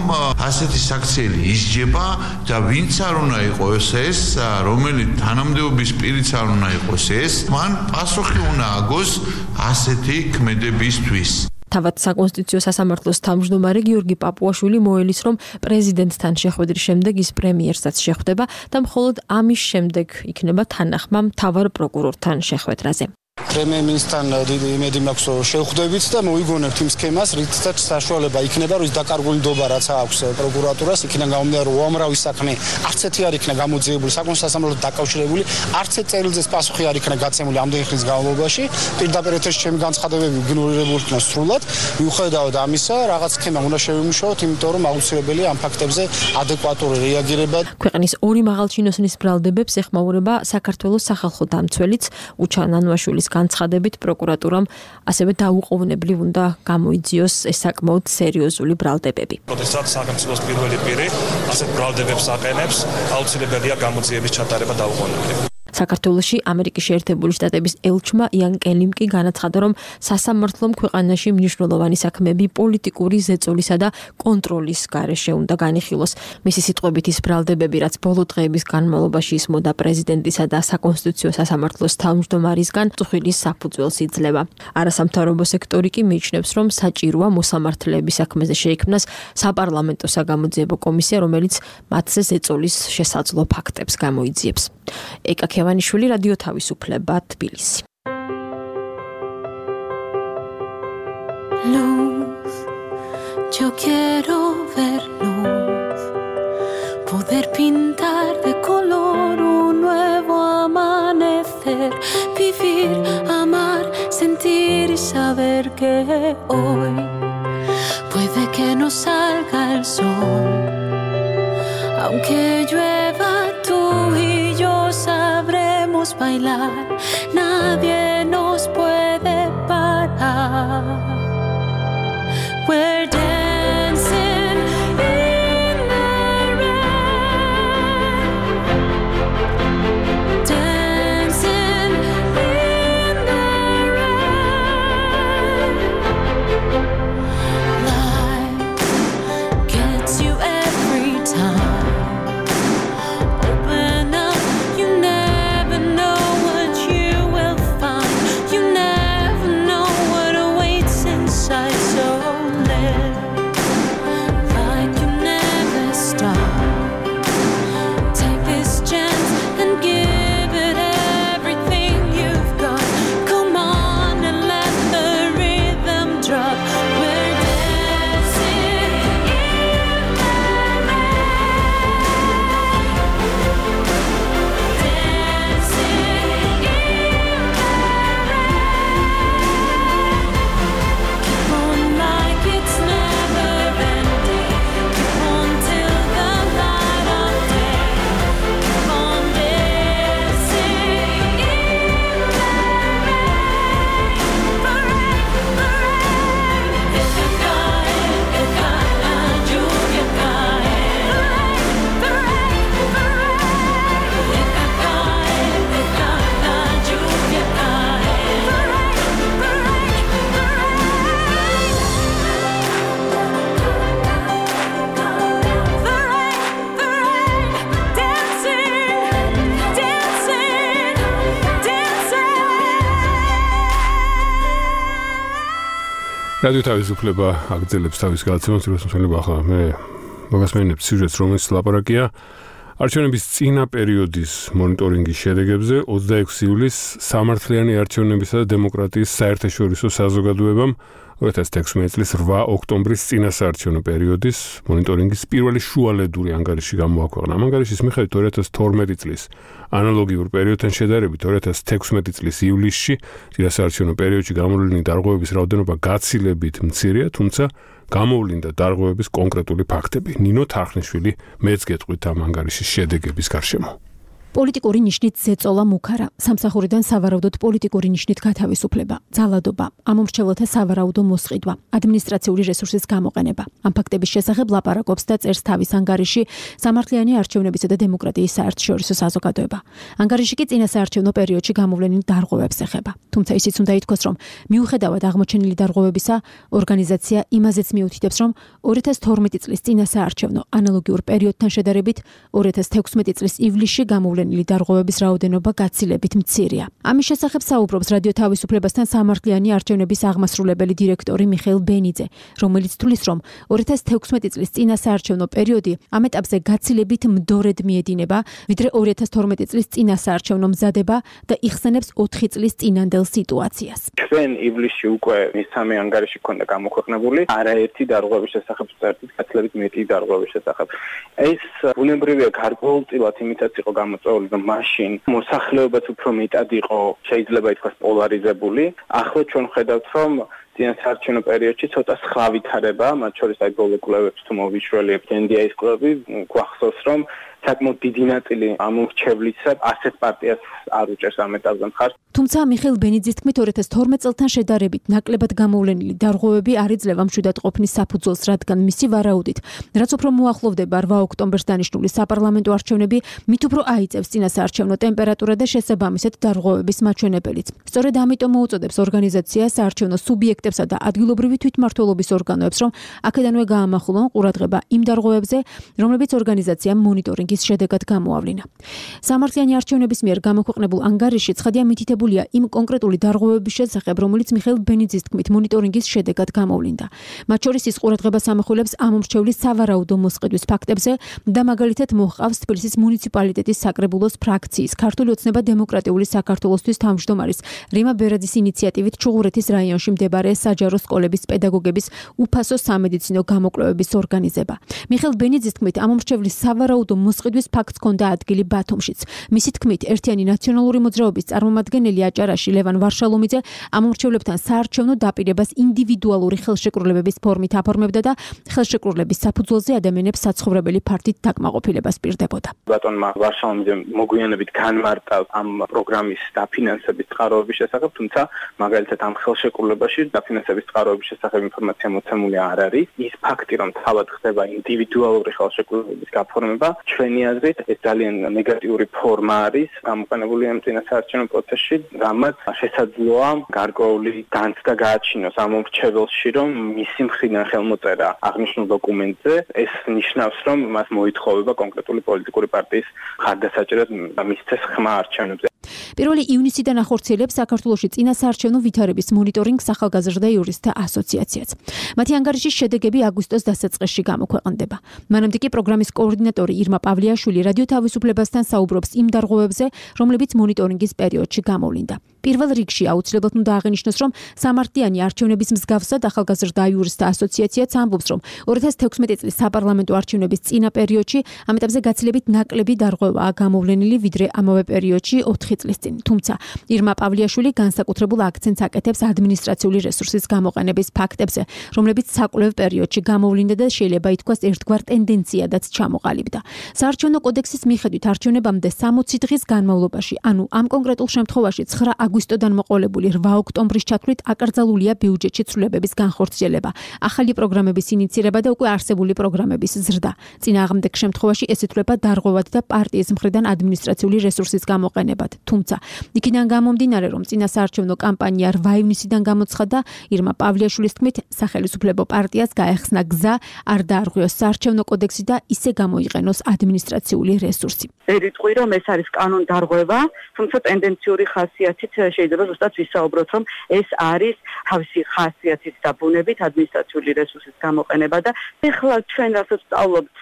ასეთი საქციელი ისჯება და ვინც არ უნდა იყოს ეს, რომელი თანამდებობის პირიც არ უნდა იყოს ეს, მან პასუხი უნდა აგოს ასეთი ქმედებისთვის. თავად საკონსტიტუციო სასამართლოს თავმჯდომარე გიორგი პაპუაშვილი მოელის, რომ პრეზიდენტთან შეხვედრის შემდეგ ის პრემიერსაც შეხვდება და მხოლოდ ამის შემდეგ იქნება თანახმა მთავარ პროკურორთან შეხვედრაზე. პრემიერ-მინისტრთან დიდი იმედი მაქვს, რომ შევხვდებით და მოიგონებთ იმ სქემას, რითაც საშუალება იქნება, რომ ის დაკარგული ნდობა რაც აქვს პროკურატურას, იქიდან გამომდინარე, რომ უამრავი საქმე არც ერთი არ იქნა გამოძიებული, საკონსულტაციო სასამართლოდ დაკავშირებული, არც ერთ წერილზეც პასუხი არ იქნა გაცემული ამდენი ხნის განმავლობაში. პირდაპირ ეთერში ჩემი განცხადებები იგნორირებული იქნა სრულად. მიუხედავად ამისა, რაღაც სქემა უნდა შევიმუშაოთ, იმიტომ რომ აუცილებელია ამ ფაქტებზე ადეკვატური რეაგირება. ქვეყნის ორი მაღალჩინოსნის ბრალდებებს ეხმაურება საქართველოს სახალხო დამცველიც უჩან ანუაშვილის განცხადებით პროკურატურამ ასევე დაუყოვნებლივ უნდა გამოიძიოს ეს საკმაოდ სერიოზული ბრალდებები. როდესაც სახელმწიფოს პირველი პირი ასეთ ბრალდებებს აყენებს, აუცილებელია გამოძიების ჩატარება დაუყოვნებლივ. საქართველოში ამერიკის შეერთებული შტატების ელჩმა იან კელიმ კი განაცხადა, რომ სასამართლომ ქვეყანაში მნიშვნელოვანი საქმეები პოლიტიკური ზეწოლისა და კონტროლის გარეშე უნდა განიხილოს. მისი სიტყვებით ის ბრალდებები, რაც ბოლო დღეების განმავლობაში ისმოდა პრეზიდენტისა და საკონსტიტუციო სასამართლოს თავმჯდომარისგან, წუხილის საფუძველს იძლევა. არასამთავრობო სექტორი კი მიიჩნევს, რომ საჭიროა მოსამართლეების საქმეზე შეიქმნას საპარლამენტო საგამოძიებო კომისია, რომელიც მათზე ზეწოლის შესაძლო ფაქტებს გამოიძიებს. ეკა ქევანიშვილი, რადიო თავისუფლება, თბილისი. Luz, yo quiero ver luz, poder pintar de color un nuevo amanecer, vivir, amar, sentir y saber que hoy puede que no salga el sol, aunque llueva tú y yo sabremos bailar, nadie nos puede parar. We're dancing in the rain, dancing in the rain. Life gets you every time. Open up, you never know what you will find. You never know what awaits inside. So რადიო თავისუფლება აგრძელებს თავის გადაცემას, როგორც მსმენელობა ახლა მე მოგასმენებთ სიუჟეტს, რომელიც ლაპარაკია არჩევნების წინა პერიოდის მონიტორინგის შედეგებზე ოცდაექვსი ივლისს სამართლიანი არჩევნებისა და დემოკრატიის საერთაშორისო საზოგადოებამ ორი ათას თექვსმეტი წლის რვა ოქტომბრის წინასაარჩევნო პერიოდის მონიტორინგის პირველი შუალედური ანგარიში გამოაქვეყნა. ამ ანგარიშის მიხედვით ორი ათას თორმეტი წლის ანალოგიურ პერიოდთან შედარებით ორი ათას თექვსმეტი წლის ივლისში წინასაარჩევნო პერიოდში გამოვლინი დარღვევების რაოდენობა გაცილებით მცირეა, თუმცა გამოვლინდა დარღვევების კონკრეტული ფაქტები. ნინო თარხნიშვილი მეც გეტყვით ამ ანგარიშის შედეგების გარშემო. პოლიტიკური ნიშნით ზეწოლა მუქარა, სამსახურიდან სავარაუდოდ პოლიტიკური ნიშნით გათავისუფლება, ძალადობა, ამომრჩეველთა სავარაუდო მოსყიდვა, ადმინისტრაციული რესურსის გამოყენება. ამ ფაქტების შესახებ ლაპარაკობს და წერს თავის ანგარიში სამართლიანი არჩევნებისა და დემოკრატიის საერთაშორისო საზოგადოება. ანგარიში კი წინასაარჩევნო პერიოდში გამოვლენილ დარღვევებს ეხება. თუმცა ისიც უნდა ითქვას, რომ მიუხედავად აღმოჩენილი დარღვევებისა, ორგანიზაცია იმაზეც მიუთითებს, რომ ორი ათას თორმეტი წლის წინასაარჩევნო ანალოგიურ პერიოდთან შედარებით ორი ათას თექვსმეტი წლის ივლისში გამოვლენილ გამოვლენილი დარღვევების რაოდენობა გაცილებით მცირეა. ამის შესახებ საუბრობს რადიო თავისუფლებასთან სამართლიანი არჩევნების აღმასრულებელი დირექტორი მიხეილ ბენიძე, რომელიც თვლის, რომ ორი ათას თექვსმეტი წლის წინასაარჩევნო პერიოდი ამ ეტაპზე გაცილებით მდორედ მიედინება, ვიდრე ორი ათას თორმეტი წლის წინასაარჩევნო მზადება და იხსენებს ოთხი წლის წინანდელ სიტუაციას. ჩვენ ივლისში უკვე მესამე ანგარიში ქონდა გამოქვეყნებული, არაერთი დარღვევის შესახებ წერტით, გაცილებით მეტი დარღვევის შესახებ. ეს ბუნებრივია გარკვეულწილად იმითაც იყო გამოწვეული, რომ მაშინ მოსახლეობაც უფრო მეტად იყო შეიძლება ითქვას პოლარიზებული. ახლა ჩვენ ხედავთ, რომ წინასაარჩევნო პერიოდში ცოტა სხვა ვითარება, მათ შორის აი ბოლო კვლევებს თუ მოვიშველიებთ ენ დი ეის კვლევები, გვახსოვს, რომ საკმაოდ დიდი ნაწილი ამორჩევლისა ასეთ პარტიას არ უჭერს ამ ეტაპზე მხარს. თუმცა მიხეილ ბენიძის თქმით ორი ათას თორმეტ წელთან შედარებით ნაკლებად გამოვლენილი დარღვევები არ იძლევა მშვიდად ყოფნის საფუძველს, რადგან მისი ვარაუდით, რაც უფრო მოახლოვდება რვა ოქტომბერს დანიშნული საპარლამენტო არჩევნები, მით უფრო აიწევს წინასაარჩევნო ტემპერატურა და შესაბამისად დარღვევების მაჩვენებელიც. სწორედ ამიტომ მოუწოდებს ორგანიზაცია საარჩევნო სუბიექტებსა და ადგილობრივი თვითმმართველობის ორგანოებს, რომ აქედანვე გაამახვილონ ყურადღება იმ დარღვევებზე, რომლებიც ორგანიზაციამ მონიტორინგის შედეგად გამოავლინა. სამართლიანი არჩევნების მიერ გამოქვეყნებულ ანგარიშში ცხადია მითითებულია იმ კონკრეტული დარღვევების შესახებ, რომელიც მიხეილ ბენიძის თქმით მონიტორინგის შედეგად გამოვლინდა. მათ შორის ის ყურადღებას ამახვილებს ამორჩევლის სავარაუდო მოსყიდვის ფაქტებზე და მაგალითად მოჰყავს თბილისის მუნიციპალიტეტის საკრებულოს ფრაქციის ქართული ოცნება დემოკრატიული საქართველოსთვის თავმჯდომარის რიმა ბერაძის ინიციატივით ჩუღურეთის რაიონში მდებარე საჯარო სკოლების პედაგოგების უფასო სამედიცინო გამოკვლევების ორგანიზება. მიხეილ ბენიძის თქმით ამორჩევლის სავარაუდო მოსყიდვის ფაქტს ჰქონდა ადგილი ბათუმშიც. მისი თქმით ერთიანი ნაციონალური მოძრაობის წარმომადგენელი აჭარაში ლევან ვარშალომიძე ამორჩევლებთან საარჩევნო დაპირებას ინდივიდუალური ხელშეკრულებების ფორმით აფორმებდა და ხელშეკრულების საფუძველზე ადამიანებს საცხოვრებელი ფართით დაკმაყოფილებას პირდებოდა. ბატონმა ვარშალომიძემ მოგვიანებით განმარტა ამ პროგრამის დაფინანსების წყაროების შესახებ, თუმცა მაგალითად ამ ხელშეკრულებაში დაფინანსების წყაროების შესახებ ინფორმაცია მოცემული არ არის. ის ფაქტი, რომ თავად ხდება ინდივიდუალური ხელშეკრულების გაფორმება, ჩვენი აზრით ეს ძალიან ნეგატიური ფორმა არის გამოყენებული ამ წინასაარჩევნო პროცესში, რამაც შესაძლოა გარკვეული განცდა გააჩინოს ამ მომრჩეველში, რომ მისი მხრიდან ხელმოწერა აღნიშნულ დოკუმენტზე ეს ნიშნავს, რომ მას მოითხოვება კონკრეტული პოლიტიკური პარტიის მხარდასაჭერად მისცეს ხმა არჩევნებზე. პირველი ივნისიდან ახორციელებს საქართველოში წინასაარჩევნო ვითარების მონიტორინგს ახალგაზრდა იურისტთა ასოციაციაც. მათი ანგარიშის შედეგები აგვისტოს დასაწყისში გამოქვეყნდება. მანამდე კი პროგრამის კოორდინატორი ირმა პავლიაშვილი რადიო თავისუფლებასთან საუბრობს იმ დარღვევებზე, რომლებიც მონიტორინგის პერიოდში გამოვლინდა. პირველ რიგში აუცილებლად უნდა აღინიშნოს, რომ სამართლიანი არჩევნების მსგავსად ახალგაზრდა იურისტთა ასოციაციაც ამბობს, რომ ორი ათას თექვსმეტი წლის საპარლამენტო არჩევნების წინა პერიოდში ამ ეტაპზე გაცილებით ნაკლები დარღვევაა გამოვლენილი, ვიდრე ამავე პერიოდში ოთხი წლის წინ. თუმცა ირმა პავლიაშვილი განსაკუთრებულ აქცენტს აკეთებს ადმინისტრაციული რესურსის გამოყენების ფაქტებზე, რომლებიც საკვლევ პერიოდში გამოვლინდა და შეიძლება ითქვას ერთგვარ ტენდენციადაც ჩამოყალიბდა. საარჩევნო კოდექსის მიხედვით არჩევნებამდე სამოცი დღის განმავლობაში, ანუ ამ კონკრეტულ შემთხვევაში ცხრა აგვისტოდან მოყოლებული რვა ოქტომბრის ჩათვლით აკრძალულია ბიუჯეტში ცვლილებების განხორციელება, ახალი პროგრამების ინიცირება და უკვე არსებული პროგრამების ზრდა. წინააღმდეგ შემთხვევაში ეს ითვლება დარღვევად და პარტიის მხრიდან ადმინისტრაციული რესურსის გამოყენებად. თუმცა, იქიდან გამომდინარე, რომ წინასაარჩევნო კამპანია რვა ივნისიდან გამოცხადდა, ირმა პავლიაშვილის თქმით, სახელმწიფო პარტიას გაეხსნა გზა, არ დაარღვიოს საარჩევნო კოდექსი და ისე გამოიყენოს ადმინისტრაციული რესურსი. ერიტყვი, რომ ეს არის კანონდარღვევა, თუმცა ტენდენციური ხასიათით შეიძლება ზუსტად ვისაუბროთ, რომ ეს არის თავისი ხასიათით და ბუნებით ადმინისტრაციული რესურსის გამოყენება და ეხლა ჩვენ რასაც ვსწავლობთ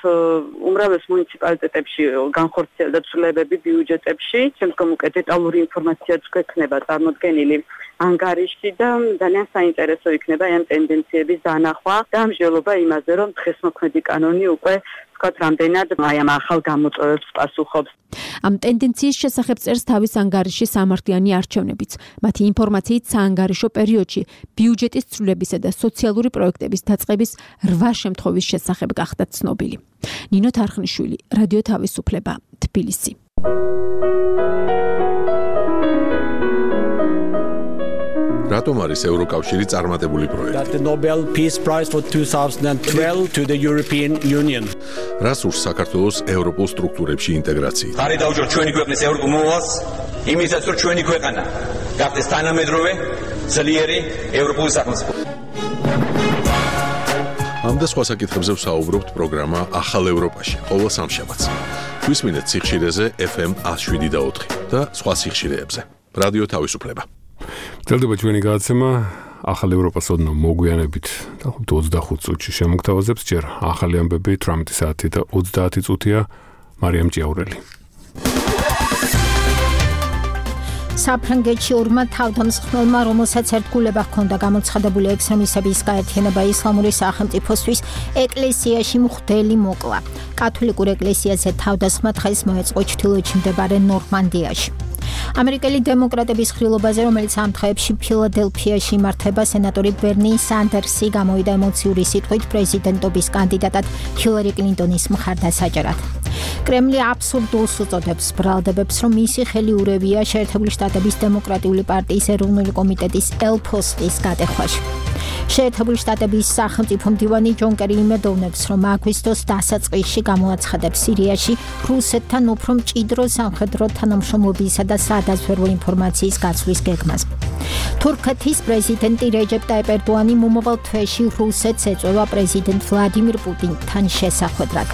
უმრავლეს მუნიციპალიტეტებში განხორციელდა ცვლილებები ბიუჯეტებში, შემდგომ უკვე დეტალური ინფორმაციაც გვექნება წარმოდგენილი ანგარიში და ძალიან საინტერესო იქნება ამ ტენდენციების დანახვა და მსჯელობა იმაზე, რომ დღესმოქმედი კანონი უკვე ვთქვათ, რამდენად აი ამ ახალ გამოწვევებს პასუხობს. ამ ტენდენციის შესახებ წერს თავის ანგარიში სამართლიანი არჩევნებიც. მათი ინფორმაციით საანგარიშო პერიოდში ბიუჯეტის ცვლილებისა და სოციალური პროექტების დაწყების რვა შემთხვევის შესახებ გახდა ცნობილი. ნინო თარხნიშვილი, რადიო თავისუფლება, თბილისი. რატომ არის ევროკავშირი წარმატებული პროექტი? That the Nobel Peace Prize for twenty twelve to the European Union. რას ურს საქართველოს ევროპულ სტრუქტურებში ინტეგრაცია? ხარი დაუჯო ჩვენი ქვეყნის ევროპულ მოვალს, იმისაც რომ ჩვენი ქვეყანა გახდეს თანამედროვე, ძლიერი ევროპული სახელმწიფო. ამ და სხვა საკითხებზე ვსაუბრობთ პროგრამა ახალ ევროპაში, ყოველ სამშაბათს. გვისმინეთ სიხშირეზე ეფ ემ one oh seven და ოთხი და სხვა სიხშირეებზე. რადიო თავისუფლება. გრძელდება ჩვენი გადაცემა ახალ ევროპას ოდნავ მოგვიანებით და ოცდახუთ წუთში შემოგთავაზებს ჯერ ახალი ამბები ათი საათი და ოცდაათი წუთია მარიამ ჭიაურელი. საფრანგეთში ორმა თავდამსხმელმა, რომელსაც ერთგულება ჰქონდა გამოცხადებული ექსტრემისტების გაერთიანება ისლამური სახელმწიფოსთვის, ეკლესიაში მღვდელი მოკლა. კათოლიკურ ეკლესიაზე თავდასხმა დღეს მოეწყო ჩრდილოეთში მდებარე ნორმანდიაში. ამერიკელი დემოკრატების ხილობაზე, რომელიც ამ დღეებში ფილადელფიაში იმართება, სენატორი ბერნი სანდერსი გამოვიდა ემოციური სიტყვით პრეზიდენტობის კანდიდატად ჰილარი კლინტონის მხარდასაჭერად. კრემლი აბსურდულს უწოდებს ბრალდებებს, რომ მისი ხელი ურევია შეერთებული შტატების დემოკრატიული პარტიის ეროვნული კომიტეტის ელ-ფოსტის გადახვაში. შეერთებული შტატების სახელმწიფო მდივანი ჯონ კერი იმედოვნებს, რომ აგვისტოს დასაწყისში გამოაცხადებს სირიაში რუსეთთან უფრო მჭიდრო სამხედრო თანამშრომლობისა და სადაზვერვო ინფორმაციის გაცვლის გეგმას. თურქეთის პრეზიდენტი რეჯეპ ტაიპ ერდოანი მომავალ თვეში რუსეთს ეწევა პრეზიდენტ ვლადიმირ პუტინთან შესახვედრად.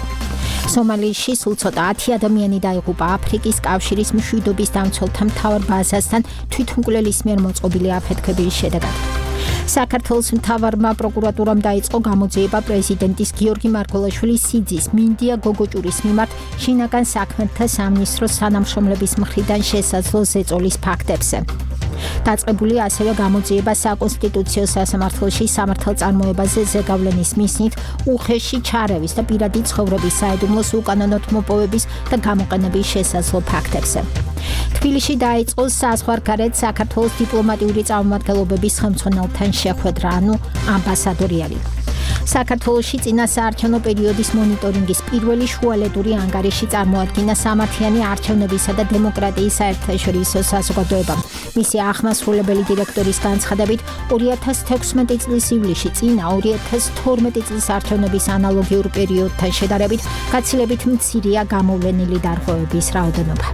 სომალიაში სულ ცოტა ათი ადამიანი დაიღუპა აფრიკის კავშირის მშვიდობის დამცველთა მთავარ ბაზასთან თვითმკვლელის მიერ მოწყობილი აფეთქების შედეგად. საქართველოს მთავარმა პროკურატურამ დაიწყო გამოძიება პრეზიდენტის გიორგი მარგველაშვილის სიძის მინდია გოგოჭურის მიმართ შინაგან საქმეთა სამინისტროს თანამშრომლების მხრიდან შესაძლო ზეწოლის ფაქტებზე. დაწყებული ასევე გამოძიება საკონსტიტუციო სასამართლოში სამართალწარმოებაზე ზეგავლენის მიზნით უხეში ჩარევის და პირადი ცხოვრების საიდუმლოს უკანონოდ მოპოვების და გამოყენების შესაძლო ფაქტებზე. თბილისში დაიწყო საზღვარგარეთ საქართველოს დიპლომატიური წარმომადგენლობების ხელმძღვანელთან შეხვედრა, ანუ ამბასადორიალი. საქართველოში წინასაარჩევნო პერიოდის მონიტორინგის პირველი შუალედური ანგარიში წარმოადგინა სამართლიანი არჩევნებისა და დემოკრატიის საერთაშორისო საზოგადოებამ. მისი აღმასრულებელი დირექტორის განცხადებით, ორი ათას თექვსმეტი წლის ივლისში წინა ორი ათას თორმეტი წლის არჩევნების ანალოგიურ პერიოდთან შედარებით გაცილებით მცირეა გამოვლენილი დარღვევების რაოდენობა.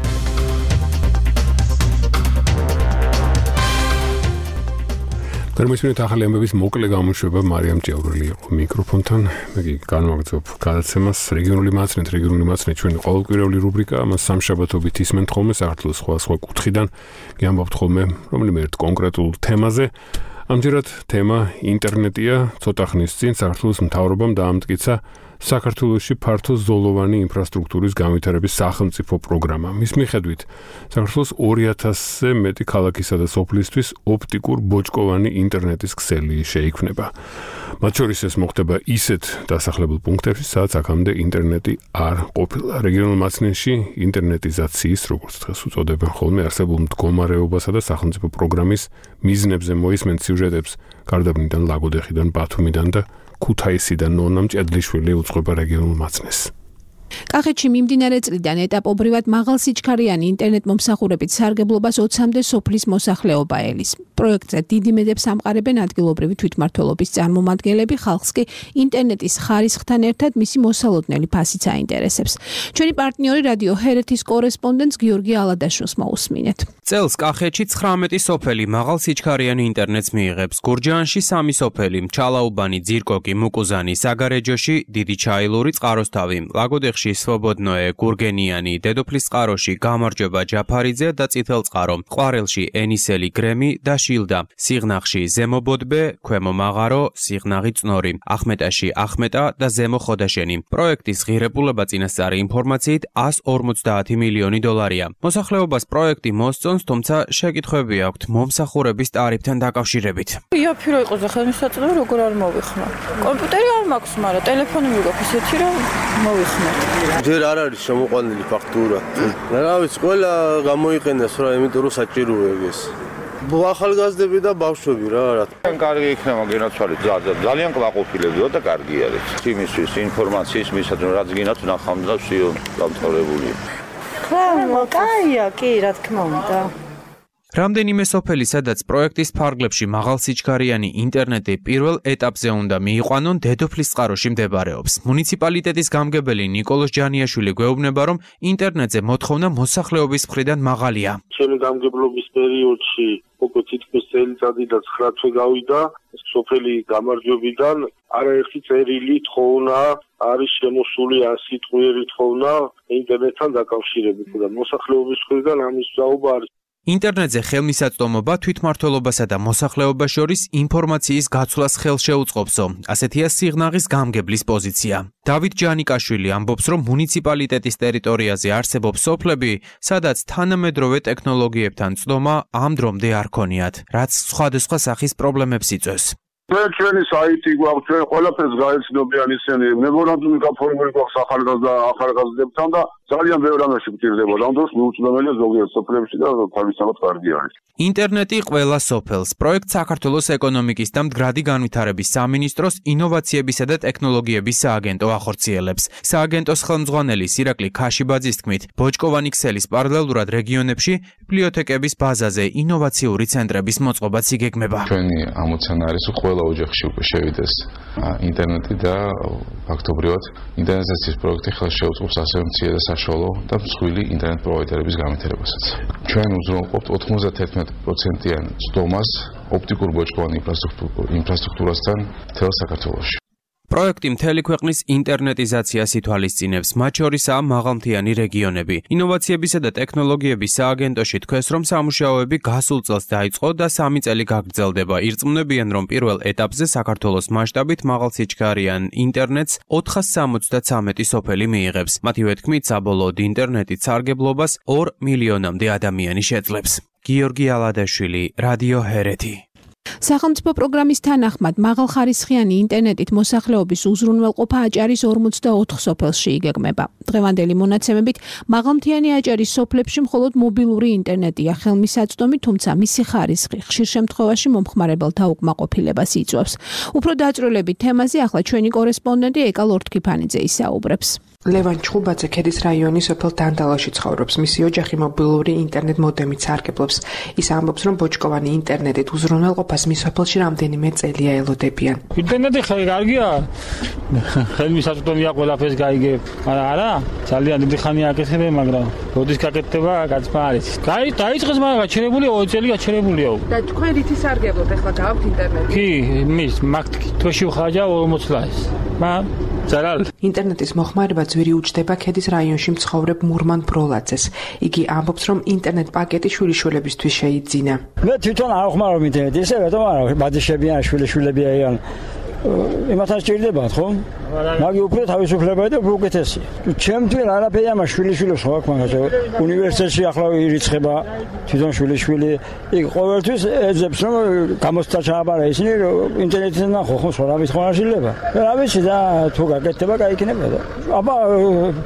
გერმანიის ახალი ამბების მოკლე გამოშვება მარიამ ჭიაურელი იყო მიკროფონთან. მე კი განვაგრძობ გადაცემას რეგიონული მაცნეთ, რეგიონული მაცნეთ ჩვენი ყოველკვირეული რუბრიკა, ამას სამშაბათობით ისმენთ ხოლმე საქართველოს სხვა სხვა კუთხიდან. გიამბობთ ხოლმე რომელიმე ერთ კონკრეტულ თემაზე. ამჯერად თემა ინტერნეტია. ცოტა ხნის წინ საქართველოს მთავრობამ დაამტკიცა საქართველოში ფართო ზოლოვანი ინფრასტრუქტურის განვითარების სახელმწიფო პროგრამა. მის მიხედვით საქართველოს ორი ათასზე მეტი ქალაქისა და სოფლისთვის ოპტიკურ ბოჭკოვანი ინტერნეტის ქსელი შეიქმნება. მათ შორის ეს მოხდება ისეთ დასახლებულ პუნქტებში, სადაც აქამდე ინტერნეტი არ ყოფილა. რეგიონულ მაცნეში ინტერნეტიზაციის, როგორც დღეს უწოდებენ ხოლმე, არსებულ მდგომარეობასა და სახელმწიფო პროგრამის მიზნებზე მოისმენთ სიუჟეტებს გარდაბნიდან, ლაგოდეხიდან, ბათუმიდან და ქუთაისიდან ნონა მჭედლიშვილი უძღვება რეგიონულ მაცნეს. კახეთში მიმდინარე წლიდან ეტაპობრივად მაღალსიჩქარიანი ინტერნეტ მომსახურებით სარგებლობას ოცამდე სოფლის მოსახლეობა ელის. პროექტზე დიდი მედებს ამყარებენ ადგილობრივი თვითმმართველობის წარმომადგენლები, ხალხს კი ინტერნეტის ხარისხთან ერთად მისი მოსალოდნელი ფასიც აინტერესებს. ჩვენი პარტნიორი რადიო ჰერეთის კორესპონდენტს გიორგი ალადაშვილს მოусმინეთ. წელს კახეთში ცხრამეტი სოფელი მაღალსიჩქარიანი ინტერნეტს მიიღებს. გურჯაანში სამი სოფელი, ჩალაუბანი, ძირკოკი, მუკუზანი, საგარეჯოში, დიდი ჩაილური, წყაროსთავი, ლაგოდეხში სვობოდნოე, გურგენიანი, დედოფლის წყაროში, გამარჯობა ჯაფარიძე და წითელწყარო, ყვარელში ენისელი გრემი და შილდა, სიღნაღში ზემობოდბე, ქვემო მაღარო, სიღნაღი წნორი, ახმეტაში ახმეტა და ზემო ხოდაშენი. პროექტის ღირებულება წინასწარი ინფორმაციით εκατს ორმოცდაათი მილიონი დოლარია. მოსახლეობას პროექტი მოსწონს, თუმცა შეკითხვები აქვთ მომსახურების ტარიფთან დაკავშირებით. იაფირო იყოს და ხელმისაწვდომი როგორ არ მოვიხმარ. კომპიუტერი არ მაქვს, მაგრამ ტელეფონი მიგაქვს ისეთი რომ მოვიხმარ. ჯერ არ არის შემოყვანილი ფაქტურა. რა ვიცი, ყველა გამოიყენეს რა, იმიტომ რომ საჭიროა ეს. ახალგაზრდები და ბავშვები რა რა. კარგი იქნება გენაცვალეთ, ძალიან კმაყოფილებია და კარგი არის. იმისთვის ინფორმაციის მისადმი რაც გინათ ნახავთ და ვსიო დამთავრებული. ხო, კაია, კი, რა თქმა უნდა. რამდენიმე სოფელი, სადაც პროექტის ფარგლებში მაღალსიჩქარიანი ინტერნეტი პირველ ეტაპზე უნდა მიიყვანონ, დედოფლის წყაროში მდებარეობს. მუნიციპალიტეტის გამგებელი ნიკოლოზ ჯანიაშვილი გვეუბნება, რომ ინტერნეტზე მოთხოვნა მოსახლეობის მხრიდან მაღალია. ჩემი გამგებლობის პერიოდში უკვე თითქმის წელიწადი და ცხრა თვე გავიდა სოფელი გამარჯვებიდან არაერთი წერილი თხოვნა არის შემოსული ან სიტყვიერი თხოვნა ინტერნეტთან დაკავშირებით და მოსახლეობის მხრიდან ამის საუბარი არის. ინტერნეტზე ხელმისაწვდომობა თვითმმართველობასა და მოსახლეობას შორის ინფორმაციის გაცვლას ხელშეუწყობსო. ასეთია სიღნაღის გამგებლის პოზიცია. დავით ჯანიკაშვილი ამბობს, რომ მუნიციპალიტეტის ტერიტორიაზე არსებობს სოფლები, სადაც თანამედროვე ტექნოლოგიებთან წდომა ამ დრომდე არ ქონიათ, რაც სხვადასხვა სახის პრობლემებს იწვევს. ჩვენი საიტი გვაქვს, ჩვენ ყველაფერს გაეცნობიან ისინი, მემორანდუმი გაფორმებული გვაქვს ახალგაზრდა ახალგაზრდებთან და ძალიან ბევრ რამეში გვჭირდება. ამ დროს მიუწვდომელია ზოგიერთ სოფლებში და თავისთავად კარგი არის. ინტერნეტი ყველა სოფელს. პროექტ საქართველოს ეკონომიკის და მდგრადი განვითარების სამინისტროს ინოვაციებისა და ტექნოლოგიების სააგენტო ახორციელებს. სააგენტოს ხელმძღვანელი სირაკლი ქაშიბაძის თქმით, ბოჭკოვანი ქსელის პარალელურად რეგიონებში ბიბლიოთეკების ბაზაზე ინოვაციური ცენტრების მოწყობაც იგეგმება. ჩვენი ამოცანა არის ყველა ოჯახში უკვე შევიდეს ინტერნეტი და ფაქტობრივად ინტერნეტიზაციის პროექტი ხელს შეუწყობს ასევე მცირე და საშუალო და მსხვილი ინტერნეტ პროვაიდერების განვითარებასაც. ჩვენ უზრუნველყოფთ ოთხმოცდაათი პროცენტიან წდომას ოპტიკურ ბოჭკოვანი ინფრასტრუქტურასთან მთელ საქართველოში. პროექტი მთელი ქვეყნის ინტერნეტიზაციას ითვალისწინებს, მათ შორისაა მაღალმთიანი რეგიონები. ინოვაციებისა და ტექნოლოგიების სააგენტოში თქვეს, რომ სამუშაოები გასულ წელს დაიწყო და სამი წელი გაგრძელდება. ირწმუნებიან, რომ პირველ ეტაპზე საქართველოს მასშტაბით მაღალსიჩქარიან ინტერნეტს ოთხას სამოცდათვრამეტი სოფელი მიიღებს. მათივე თქმით, საბოლოოდ ინტერნეტით სარგებლობას ორ მილიონამდე ადამიანი შეძლებს. გიორგი ალადაშვილი, რადიო ჰერეთი. სახელმწიფო პროგრამის თანახმად მაღალხარისხიანი ინტერნეტით მოსახლეობის უზრუნველყოფა აჭარის ორმოცდაოთხ სოფელში იგეგმება. დღევანდელი მონაცემებით მაღალმთიანი აჭარის სოფლებში მხოლოდ მობილური ინტერნეტია ხელმისაწვდომი, თუმცა მისი ხარისხი ხშირ შემთხვევაში მომხმარებელთა უკმაყოფილებას იწვევს. უფრო დაწვრილებით თემაზე ახლა ჩვენი კორესპონდენტი ეკა ლორთქიფანიძე ისაუბრებს. ლევან ჩხუბაძე ქედის რაიონის სოფელ დანდალაში ცხოვრობს. მისი ოჯახი მობილური ინტერნეტ მოდემით სარგებლობს. ის ამბობს, რომ ბოჭკოვანი ინტერნეტით უზრუნველყოფას მის სოფელში რამდენიმე წელია ელოდებიან. ინტერნეტი კარგია, ხელმისაწვდომია ყველაფერს გაიგებ. არა, ძალიან დიდი ხანია აკეთებ, მაგრამ როდის გაკეთდება, გაცმა არის. გაი, დაიწყეს, მაგრამ გაჩერებულია, ორი წელი გაჩერებულია. და თქვენ რითი სარგებლობთ ახლა გააქვთ ინტერნეტი? კი, მის მაგთქი თოში ვხაჯა ორმოცდაათს. მაგრამ ზარალ ინტერნეტის მოხმარება ძვირი უჯდება ქედის რაიონში მცხოვრებ მურმან ბროლაძეს. იგი ამბობს, რომ ინტერნეტ პაკეტი შვილიშვილებისთვის შეიძინა. მე თვითონ არ ვხმარობ ინტერნეტს, ისე რატომ არა, ბადიშები ან შვილიშვილები არიან. იმათან სჭირდებათ, ხო? მაგი უფრო თავისუფლებაა და უფრო უკეთესია. ჩემთვის არაფერი ამას შვილიშვილებს ხო აქვს, მაგრამ უნივერსიტეტში ახლა ირიცხება თვითონ შვილიშვილი. იქ ყოველთვის ეძებს, რომ გამოცდა ჩააბარა ისინი ინტერნეტიდან ნახო, ხო, სხვა რამის ხო არ შეიძლება. რა ვიცი და თუ გაკეთდება, გაიქნება და. აბა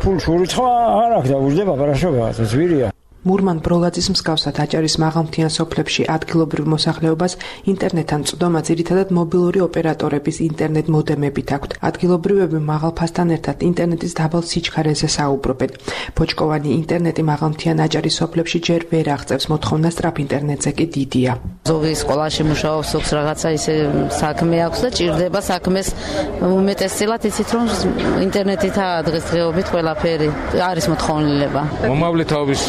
ფულს ურიცხვა არ აქვს და უჯდება პარაშობა, ზვირია. მურმან ბროლაძის მსგავსად აჭარის მაღალმთიან სოფლებში ადგილობრივ მოსახლეობას ინტერნეტთან წვდომა ძირითადად მობილური ოპერატორების ინტერნეტ მოდემებით აქვთ. ადგილობრივები მაღალ ფასთან ერთად ინტერნეტის დაბალ სიჩქარეზე საუბრობენ. ბოჭკოვანი ინტერნეტი მაღალმთიან აჭარის სოფლებში ჯერ ვერ აღწევს, მოთხოვნა სწრაფ ინტერნეტზე კი დიდია. ზოგი სკოლაში მუშაობს, ზოგს რაღაცა ისე საქმე აქვს და ჭირდება საქმეს უმეტესწილად იცით რომ ინტერნეტითაა დღესდღეობით ყველაფერი არის მოთხოვნილება. მომავლითაობის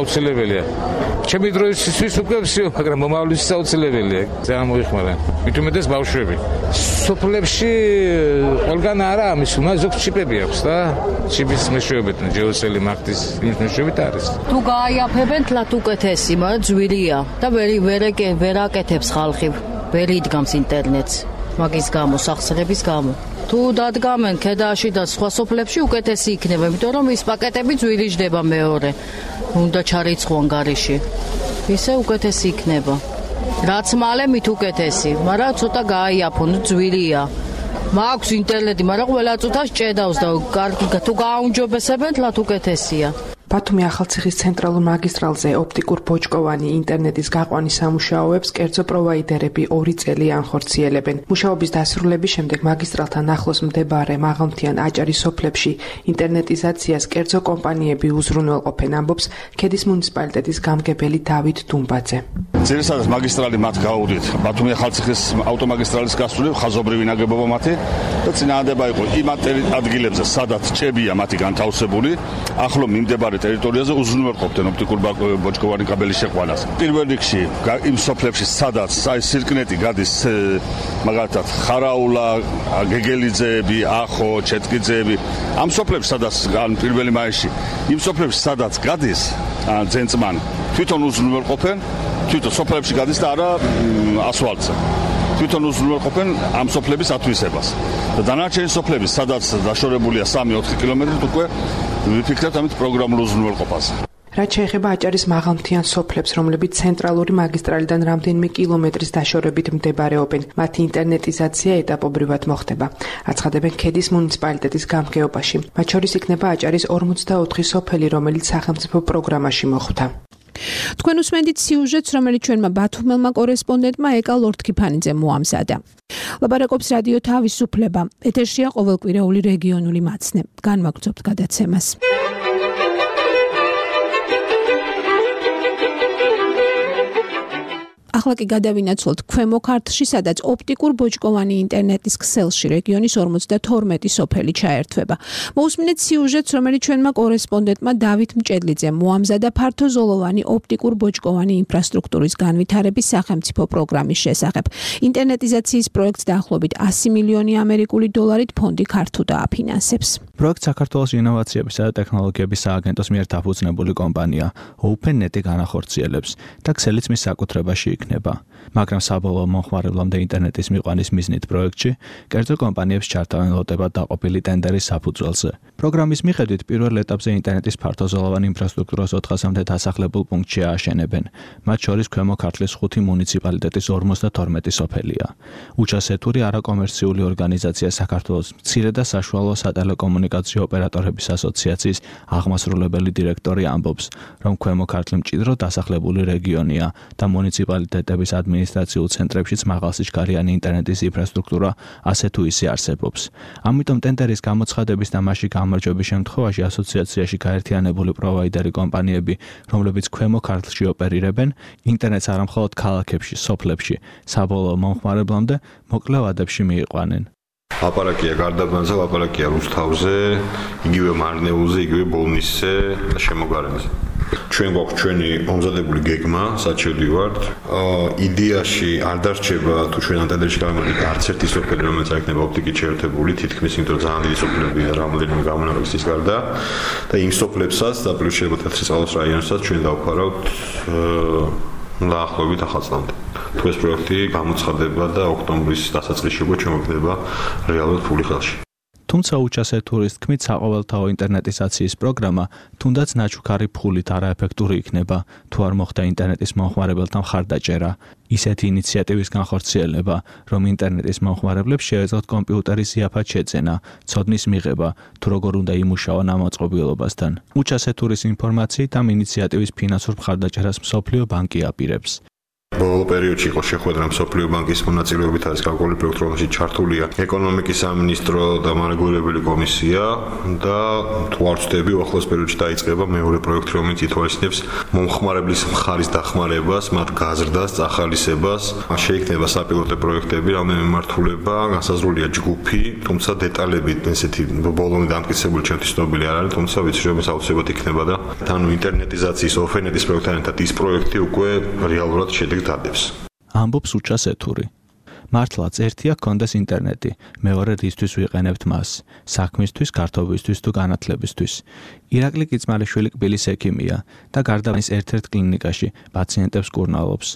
აუცილებელია. ჩემი დროისთვის უკვე ვსიო, მაგრამ მომავლისთვის აუცილებელია. ძალიან მოიხმარა. მით უმეტეს ბავშვები. სოფლებში ყველგან არა ამის, უნდა ზოგ ჩიპები აქვს და ჩიპის მეშვეობით, ჯეოსელი მაგდის იმის მეშვეობით არის. თუ გააიაფებენ თლათ უკეთესი, მაგრამ ძვირია და ვერ ვერ აკეთებს ხალხი, ვერ იდგამს ინტერნეტს. მაგის გამო, სახსრების გამო. თუ დადგამენ ქედაში და სხვა სოფლებში უკეთესი იქნება, იმიტომ რომ ის პაკეტები ძვირიჯდება მეორე. უნდა ჩარიცხვან გარეში. ისე უკეთესი იქნება. რაც მალე მით უკეთესი, მაგრამ ცოტა გააიაფონ, ძვირია. მაქვს ინტერნეტი, მაგრამ ყველა წუთას ჭედავს და კარგი თუ გააუნჯობესებენ, თლათ უკეთესია. ბათუმი ახალციხის ცენტრალურ მაგისტრალზე ოპტიკურ ბოჭკოვანი ინტერნეტის გაყვანის სამუშაოებს კერძო პროვაიდერები ორი წელი ანხორციელებენ. მუშაობის დასრულების შემდეგ მაგისტრალთან ახლოს მდებარე მაღალმთიან აჭარის სოფლებში ინტერნეტიზაციას კერძო კომპანიები უზრუნველყოფენ, ამბობს ქედის მუნიციპალიტეტის გამგებელი დავით დუმბაძე. ძირითადად მაგისტრალი მათ გაუვდით. ბათუმი ახალციხის ავტომაგისტრალის გასული ხაზობრივი ნაგებობა მათი და წინააღმდება იყო იმ ადგილებზე, სადაც ჭებია მათი განთავსებული, ახლო მიმდებარე ტერიტორიაზე უზრუნველყოფდნენ ოპტიკურ ბოჭკოვანი კაბელის შეყვანას. პირველ რიგში იმ სოფლებში, სადაც აი სირკნეტი გადის, მაგალითად, ხარაულა, გეგელიძეები, ახო, ჩეტკიძეები, ამ სოფლებში, სადაც ან პირველი მაისში, იმ სოფლებში, სადაც გადის ძენწმანი, თვითონ უზრუნველყოფენ, თვითონ სოფლებში გადის და არა ასფალტზე. თვითონ უზრუნველყოფენ ამ სოფლების ათვისებას. და დანარჩენი სოფლები, სადაც დაშორებულია სამი ოთხი კილომეტრით, უკვე ვიფიქრებთ ამით პროგრამულ უზრუნველყოფაზე. რაც შეეხება აჭარის მაღალმთიან სოფლებს, რომლებიც ცენტრალური მაგისტრალიდან რამდენიმე კილომეტრის დაშორებით მდებარეობენ, მათი ინტერნეტიზაცია ეტაპობრივად მოხდება. აცხადებენ ქედის მუნიციპალიტეტის გამგეობაში. მათ შორის იქნება აჭარის ორმოცდაოთხი სოფელი, რომელიც სახელმწიფო პროგრამაში მოხვდა. თქვენ უსმენთ სიუჟეტს, რომელიც ჩვენმა ბათუმელმა კორესპონდენტმა ეკა ლორთქიფანიძემ მოამზადა. ლაპარაკობს რადიო თავისუფლება. ეთერშია ყოველკვირეული რეგიონული მაცნე. განვაგრძობთ გადაცემას. ახლა კი გადავინაცვლოთ ქვემო ქართლში, სადაც ოპტიკურ ბოჭკოვანი ინტერნეტის ქსელში რეგიონის ორმოცდათორმეტი სოფელი ჩაერთვება. მოусმინეთ სიუჟეტს, რომელიც ჩვენმა კორესპონდენტმა დავით მჭედლიძემ მოამზადა ფართოზოლოვანი ოპტიკურ ბოჭკოვანი ინფრასტრუქტურის განვითარების სახელმწიფო პროგრამის შესახებ. ინტერნეტიზაციის პროექტს დაახლოებით ასი მილიონი ამერიკული დოლარით ფონდი ქართუ დააფინანსებს. პროექტს საქართველოს ინოვაციებისა და ტექნოლოგიების სააგენტოს მიერ დაფუძნებული კომპანია OpenNet-ი განახორციელებს და ქსელიც მის საკუთრებაში იქნება. მაგრამ საბოლოო მომხმარებლამდე ინტერნეტის მიყვანის მიზნით პროექტში კერძო კომპანიებს ჩართავენ ლოტებად დაყოფილი ტენდერის საფუძველზე. პროგრამის მიხედვით პირველ ეტაპზე ინტერნეტის ფართოზოლოვანი ინფრასტრუქტურას ოთხასამდე დასახლებულ პუნქტში ააშენებენ. მათ შორის ქვემო ქართლის ხუთი მუნიციპალიტეტის ორმოცდათორმეტი სოფელია. უჩასეთური არაკომერციული ორგანიზაცია საქართველოს მცირე და საშუალო სატელეკომუნიკაციო ოპერატორების ასოციაციის აღმასრულებელი დირექტორი ამბობს, რომ ქვემო ქართლი მჭიდრო დასახლებული რეგიონია და მუნიციპალიტეტების ადმინისტრაციულ ცენტრებშიც მაღალსიჩქარიანი ინტერნეტის ინფრასტრუქტურა ასე თუ ისე არსებობს. ამიტომ ტენდერის გამოცხადების და მასში გამარჯვების შემთხვევაში ასოციაციაში გაერთიანებული პროვაიდერი კომპანიები, რომლებიც ქვემო ქართლში ოპერირებენ, ინტერნეტს არამხოლოდ ქალაქებში, სოფლებში, საბოლოო მომხმარებლამდე მოკლე ვადებში მიიყვანენ. ლაპარაკია გარდაბანზე, ლაპარაკია რუსთავზე, იგივე მარნეულზე, იგივე ბოლნისზე და შემოგარენზე. ჩვენ გვაქვს ჩვენი მომზადებული გეგმა, საჩივდი ვართ. იდეაში არ დარჩება თუ ჩვენ ანტენებში გამოვიდეთ არც ერთი სოფელი, რომელიც არ იქნება ოპტიკით შეერთებული, თითქმის იმიტომ რომ ძალიან დიდი სოფლებია რამოდენიმე გამონაკლისის გარდა და იმ სოფლებსაც და პლუს შეიძლება თეთრიწყაროს რაიონსაც ჩვენ დავფარავთ დაახლოებით ახალწლამდე. თუ ეს პროექტი გამოცხადება და ოქტომბრის დასაწყისში უკვე ჩამოხდება რეალურად ფული ხელში. თუმცა უჩასეთურის თქმით, საყოველთაო ინტერნეტიზაციის პროგრამა თუნდაც ნაჩუქარი ფულით არაეფექტური იქნება, თუ არ მოხდა ინტერნეტის მომხმარებელთა მხარდაჭერა. ისეთი ინიციატივის განხორციელება, რომ ინტერნეტის მომხმარებლებს შეეძლოთ კომპიუტერის იაფად შეძენა, ცოდნის მიღება, თუ როგორ უნდა იმუშაონ ამ მოწყობილობასთან. უჩასეთურის ინფორმაციით ამ ინიციატივის ფინანსურ მხარდაჭერას მსოფლიო ბანკი აპირებს. ბოლო პერიოდში იყო შეხვედრა მსოფლიო ბანკის მონაწილეობით არის განკუთვნილი პროექტი, რომელშიც ჩართულია ეკონომიკის სამინისტრო და მარეგულირებელი კომისია და თუ არ ვცდები, ახლოს პერიოდში დაიწყება მეორე პროექტი, რომელიც ითვალისწინებს მომხმარებლის მხარის დახმარებას, მათ გაზრდას, წახალისებას. შეიქმნება საპილოტო პროექტები, რამდენიმე მიმართულება, განსაზღვრულია ჯგუფი, თუმცა დეტალები ესეთი ბოლომდე დამტკიცებული ჩემთვის ცნობილი არ არის, თუმცა ვიცი რომ ეს აუცილებლად იქნება და ანუ ინტერნეტიზაციის ოფენეტის პროექტთან ერთად ის პროექტი უკვე რეალურად შედეგს დადებს. ამბობს უჩასეთური. მართლაც ერთია გქონდეს ინტერნეტი, მეორე რისთვის ვიყენებთ მას, საქმისთვის, გართობისთვის თუ განათლებისთვის. ირაკლი კიცმარიშვილი კბილის ექიმია და გარდაბნის ერთ-ერთ კლინიკაში პაციენტებს კურნალობს.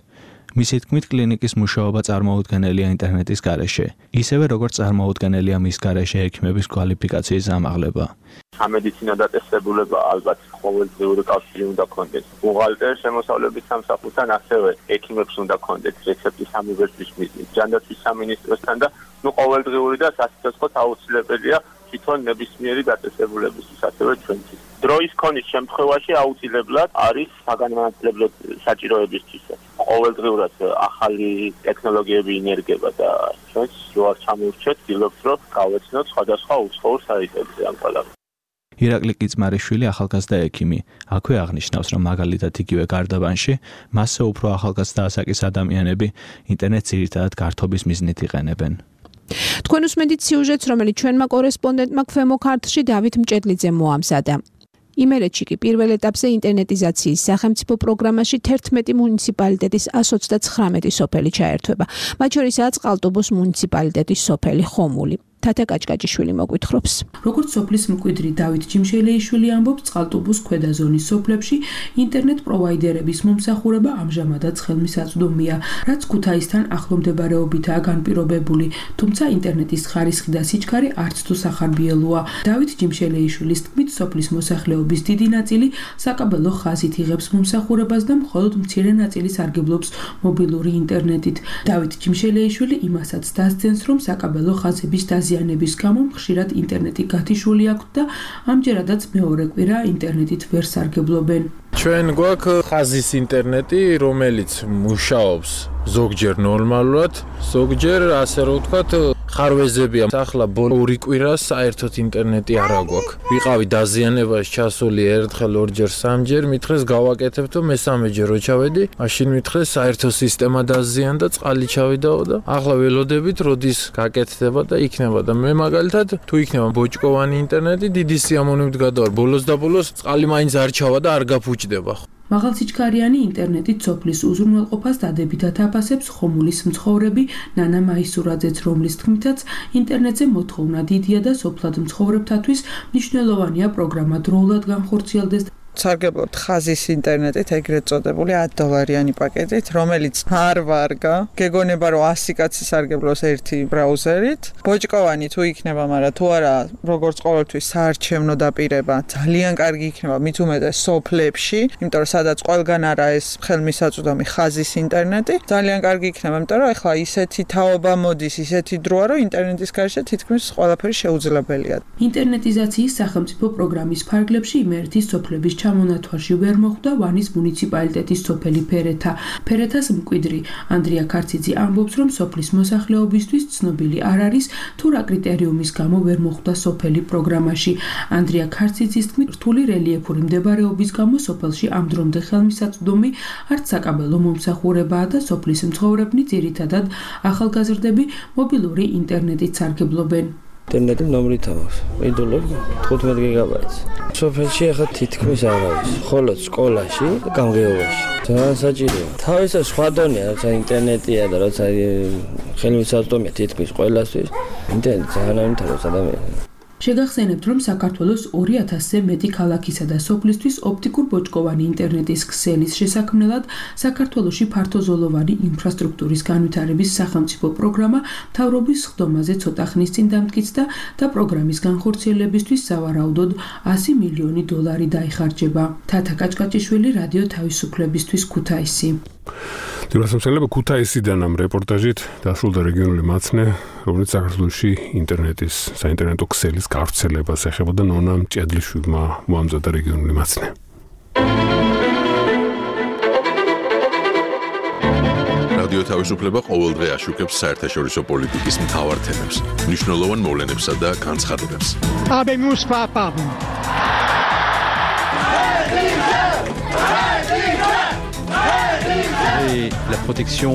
მისი თქმით, კლინიკის მუშაობა წარმოუდგენელია ინტერნეტის გარეშე, ისევე როგორც წარმოუდგენელია მის გარეშე ექიმების კვალიფიკაციის ამაღლება. სამედიცინო დაწესებულება ალბათ ყოველდღიური კავშირი უნდა ქონდეს. ბუღალტერის შემოსავლების სამსახურთან ასევე ექიმებს უნდა ქონდეს რეცეპტის ამოვერთვის მიზნით. ჯანდაცვის სამინისტროსთან და ნუ ყოველდღიური და სასიცოცხლო აუცილებელია თვითონ ნებისმიერი დაწესებულებისთვის, ასევე ჩვენთვის. დროის ქონის შემთხვევაში აუცილებლად არის საგანმანათლებლო საჭიროებისთვის. ყოველდღურად ახალი ტექნოლოგიები ინერგება და ჩვენს რო არ ჩამოვრჩეთ, ვცდილობთ რომ გავეცნოთ სხვადასხვა უცხოურ საიტებზე ამ ყველაფერს. ირაკლი კიცმარიშვილი ახალგაზრდა ექიმი. აქვე აღნიშნავს, რომ მაგალითად იგივე გარდაბანში მასზე უფრო ახალგაზრდა ასაკის ადამიანები ინტერნეტს ძირითადად გართობის მიზნით იყენებენ. თქვენ უსმენთ სიუჟეტს, რომელიც ჩვენმა კორესპონდენტმა ქვემო ქართლში დავით მჭედლიძემ მოამზადა. იმერეთში კი პირველ ეტაპზე ინტერნეტიზაციის სახელმწიფო პროგრამაში თერთმეტი მუნიციპალიტეტის ას ოცდათხრამეტი სოფელი ჩაერთვება. მათ შორისაა წყალტუბოს მუნიციპალიტეტის სოფელი ხომული. თათა კაჭკაჭიშვილი მოგვითხრობს. როგორც სოფლის მკვიდრი დავით ჯიმშელეიშვილი ამბობს, წყალტუბოს ქვედა ზონის სოფლებში ინტერნეტ პროვაიდერების მომსახურება ამჟამადაც ხელმისაწვდომია, რაც ქუთაისთან ახლომდებარეობითაა განპირობებული, თუმცა ინტერნეტის ხარისხი და სიჩქარე არც თუ სახარბიელოა. დავით ჯიმშელეიშვილის თქმით, სოფლის მოსახლეობის დიდი ნაწილი საკაბელო ხაზით იღებს მომსახურებას და მხოლოდ მცირე ნაწილი სარგებლობს მობილური ინტერნეტით. დავით ჯიმშელეიშვილი იმასაც დასძენს, რომ საკაბელო ხაზების დაზიანების გამო ხშირად ინტერნეტი გათიშული აქვს და ამჯერადაც მეორე კვირა ინტერნეტით ვერ სარგებლობენ. ჩვენ გვაქვს ხაზის ინტერნეტი, რომელიც მუშაობს ზოგჯერ ნორმალურად, ზოგჯერ ასე რომ ვთქვათ, ხარვეზებია. ახლა ორი კვირა საერთოდ ინტერნეტი არ აქვს. ვიყავი დაზიანებაში ჩასული ერთხელ, ორჯერ, სამჯერ, მითხრეს გავაკეთებ თუ მესამეჯერ რო ჩავედი, მაშინ მითხრეს საერთო სისტემა დაზიანდა, წყალი ჩავიდაო და ახლა ველოდებით როდის გაკეთდება და იქნება და მე მაგალითად თუ იქნება ბოჭკოვანი ინტერნეტი, დიდი სიამოვნებით გადავარ. ბოლოს და ბოლოს წყალი მაინც არ ჩავა და არ გაფუჭდება. მაღალსიჩქარიანი ინტერნეტით სოფლის უზრუნველყოფას დადებითად აფასებს ხომულის მცხოვრები ნანა მაისურაძეც, რომლის თქმითაც ინტერნეტზე მოთხოვნა დიდია და სოფლად მცხოვრებთათვის მნიშვნელოვანია პროგრამა დროულად განხორციელდეს. სარგებლობთ ხაზის ინტერნეტით, ეგრეთ წოდებული ათი დოლარიანი პაკეტით, რომელიც არ ვარგა. გეგონება რომ ასი კაცი სარგებლობს ერთი ბრაუზერით. ბოჭკოვანი თუ იქნება, მაგრამ თუ არა, როგორც ყოველთვის საარჩევნო დაპირება ძალიან კარგი იქნება, მით უმეტეს სოფლებში, იმიტომ რომ სადაც ყველგან არა ეს ხელმისაწვდომი ხაზის ინტერნეტი, ძალიან კარგი იქნება, იმიტომ რომ ეხლა ისეთი თაობა მოდის, ისეთი დროა, რომ ინტერნეტის გარშე თითქმის ყველაფერი შეუძლებელია. ინტერნეტიზაციის სახელმწიფო პროგრამის ფარგლებში იმერეთის სოფლების ჩამონათვალში ვერ მოხვდა ვანის მუნიციპალიტეტის სოფელი ფერეთა. ფერეთას მკვიდრი ანდრია ქარციძე ამბობს, რომ სოფლის მოსახლეობისთვის ცნობილი არ არის, თუ რა კრიტერიუმის გამო ვერ მოხვდა სოფელი პროგრამაში. ანდრია ქარციძის თქმით, რთული რელიეფური მდებარეობის გამო სოფელში ამ დრომდე ხელმისაწვდომი არც საკაბელო მომსახურებაა და სოფლის მცხოვრებნი ძირითადად ახალგაზრდები მობილური ინტერნეტით სარგებლობენ. ინტერნეტი ნომრით აქვს. მიდოლობ თხუთმეტ გიგაბაიტს. სოფელში ახლა თითქმის არ არის. ხოლო სკოლაში, გამგეობაში. ძალიან საჭიროა. თავისთავად სხვა დონეა, როცა ინტერნეტია და როცა ხელმისაწვდომია თითქმის ყველასთვის. ინტერნეტი ძალიან ამითარებს ადამიანს. შეგახსენებთ, რომ საქართველოს ორი ათასზე მეტი ქალაქისა და სოფლისთვის ოპტიკურ ბოჭკოვანი ინტერნეტის ქსელის შესაქმნელად საქართველოში ფართოზოლოვანი ინფრასტრუქტურის განვითარების სახელმწიფო პროგრამა მთავრობის ხდომაზე ცოტა ხნის წინ დამტკიცდა და პროგრამის განხორციელებისთვის სავარაუდოდ ასი მილიონი დოლარი დაიხარჯება. თათა კაჭკაჭიშვილი, რადიო თავისუფლებისთვის, ქუთაისი. დიასამსელება ქუთაისიდან ამ რეპორტაჟით დასრულდა რეგიონული მაცნე, რომელიც საქართველოში ინტერნეტის საინტერნეტო ქსელის გავრცელებას ეხებოდა. ნონა მჭედლიშვილმა მოამზადა რეგიონული მაცნე. რადიო თავისუფლება ყოველდღე აშუქებს საერთაშორისო პოლიტიკის მთავარ თემებს, მნიშვნელოვან მოვლენებსა და განცხადებებს. Habemus papam. Et la protection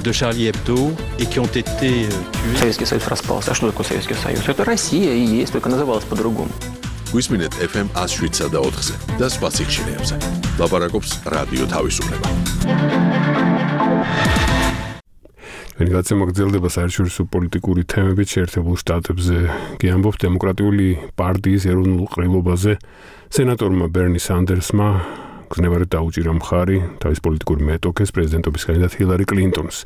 de Charlie Hebdo et qui ont été tués. Советский Союз распался. А что такое Советский Союз? Это Россия и есть, только называлась по-другому. გვისმინეთ эф эм one oh seven და ოთხზე და სხვა სიხშირეებზე. ლაპარაკობს რადიო თავისუფლება. ვინ გაცემა გრძელდება საერთაშორისო პოლიტიკური თემებით შეერთებულ შტატებზე. კი ამბობთ დემოკრატიული პარტიის ეროვნულ ყრილობაზე სენატორმა ბერნი სანდერსმა გზნებარად დაუჭირა მხარი თავის პოლიტიკური მეტოქეს პრეზიდენტობის კანდიდატ ჰილარი კლინტონს.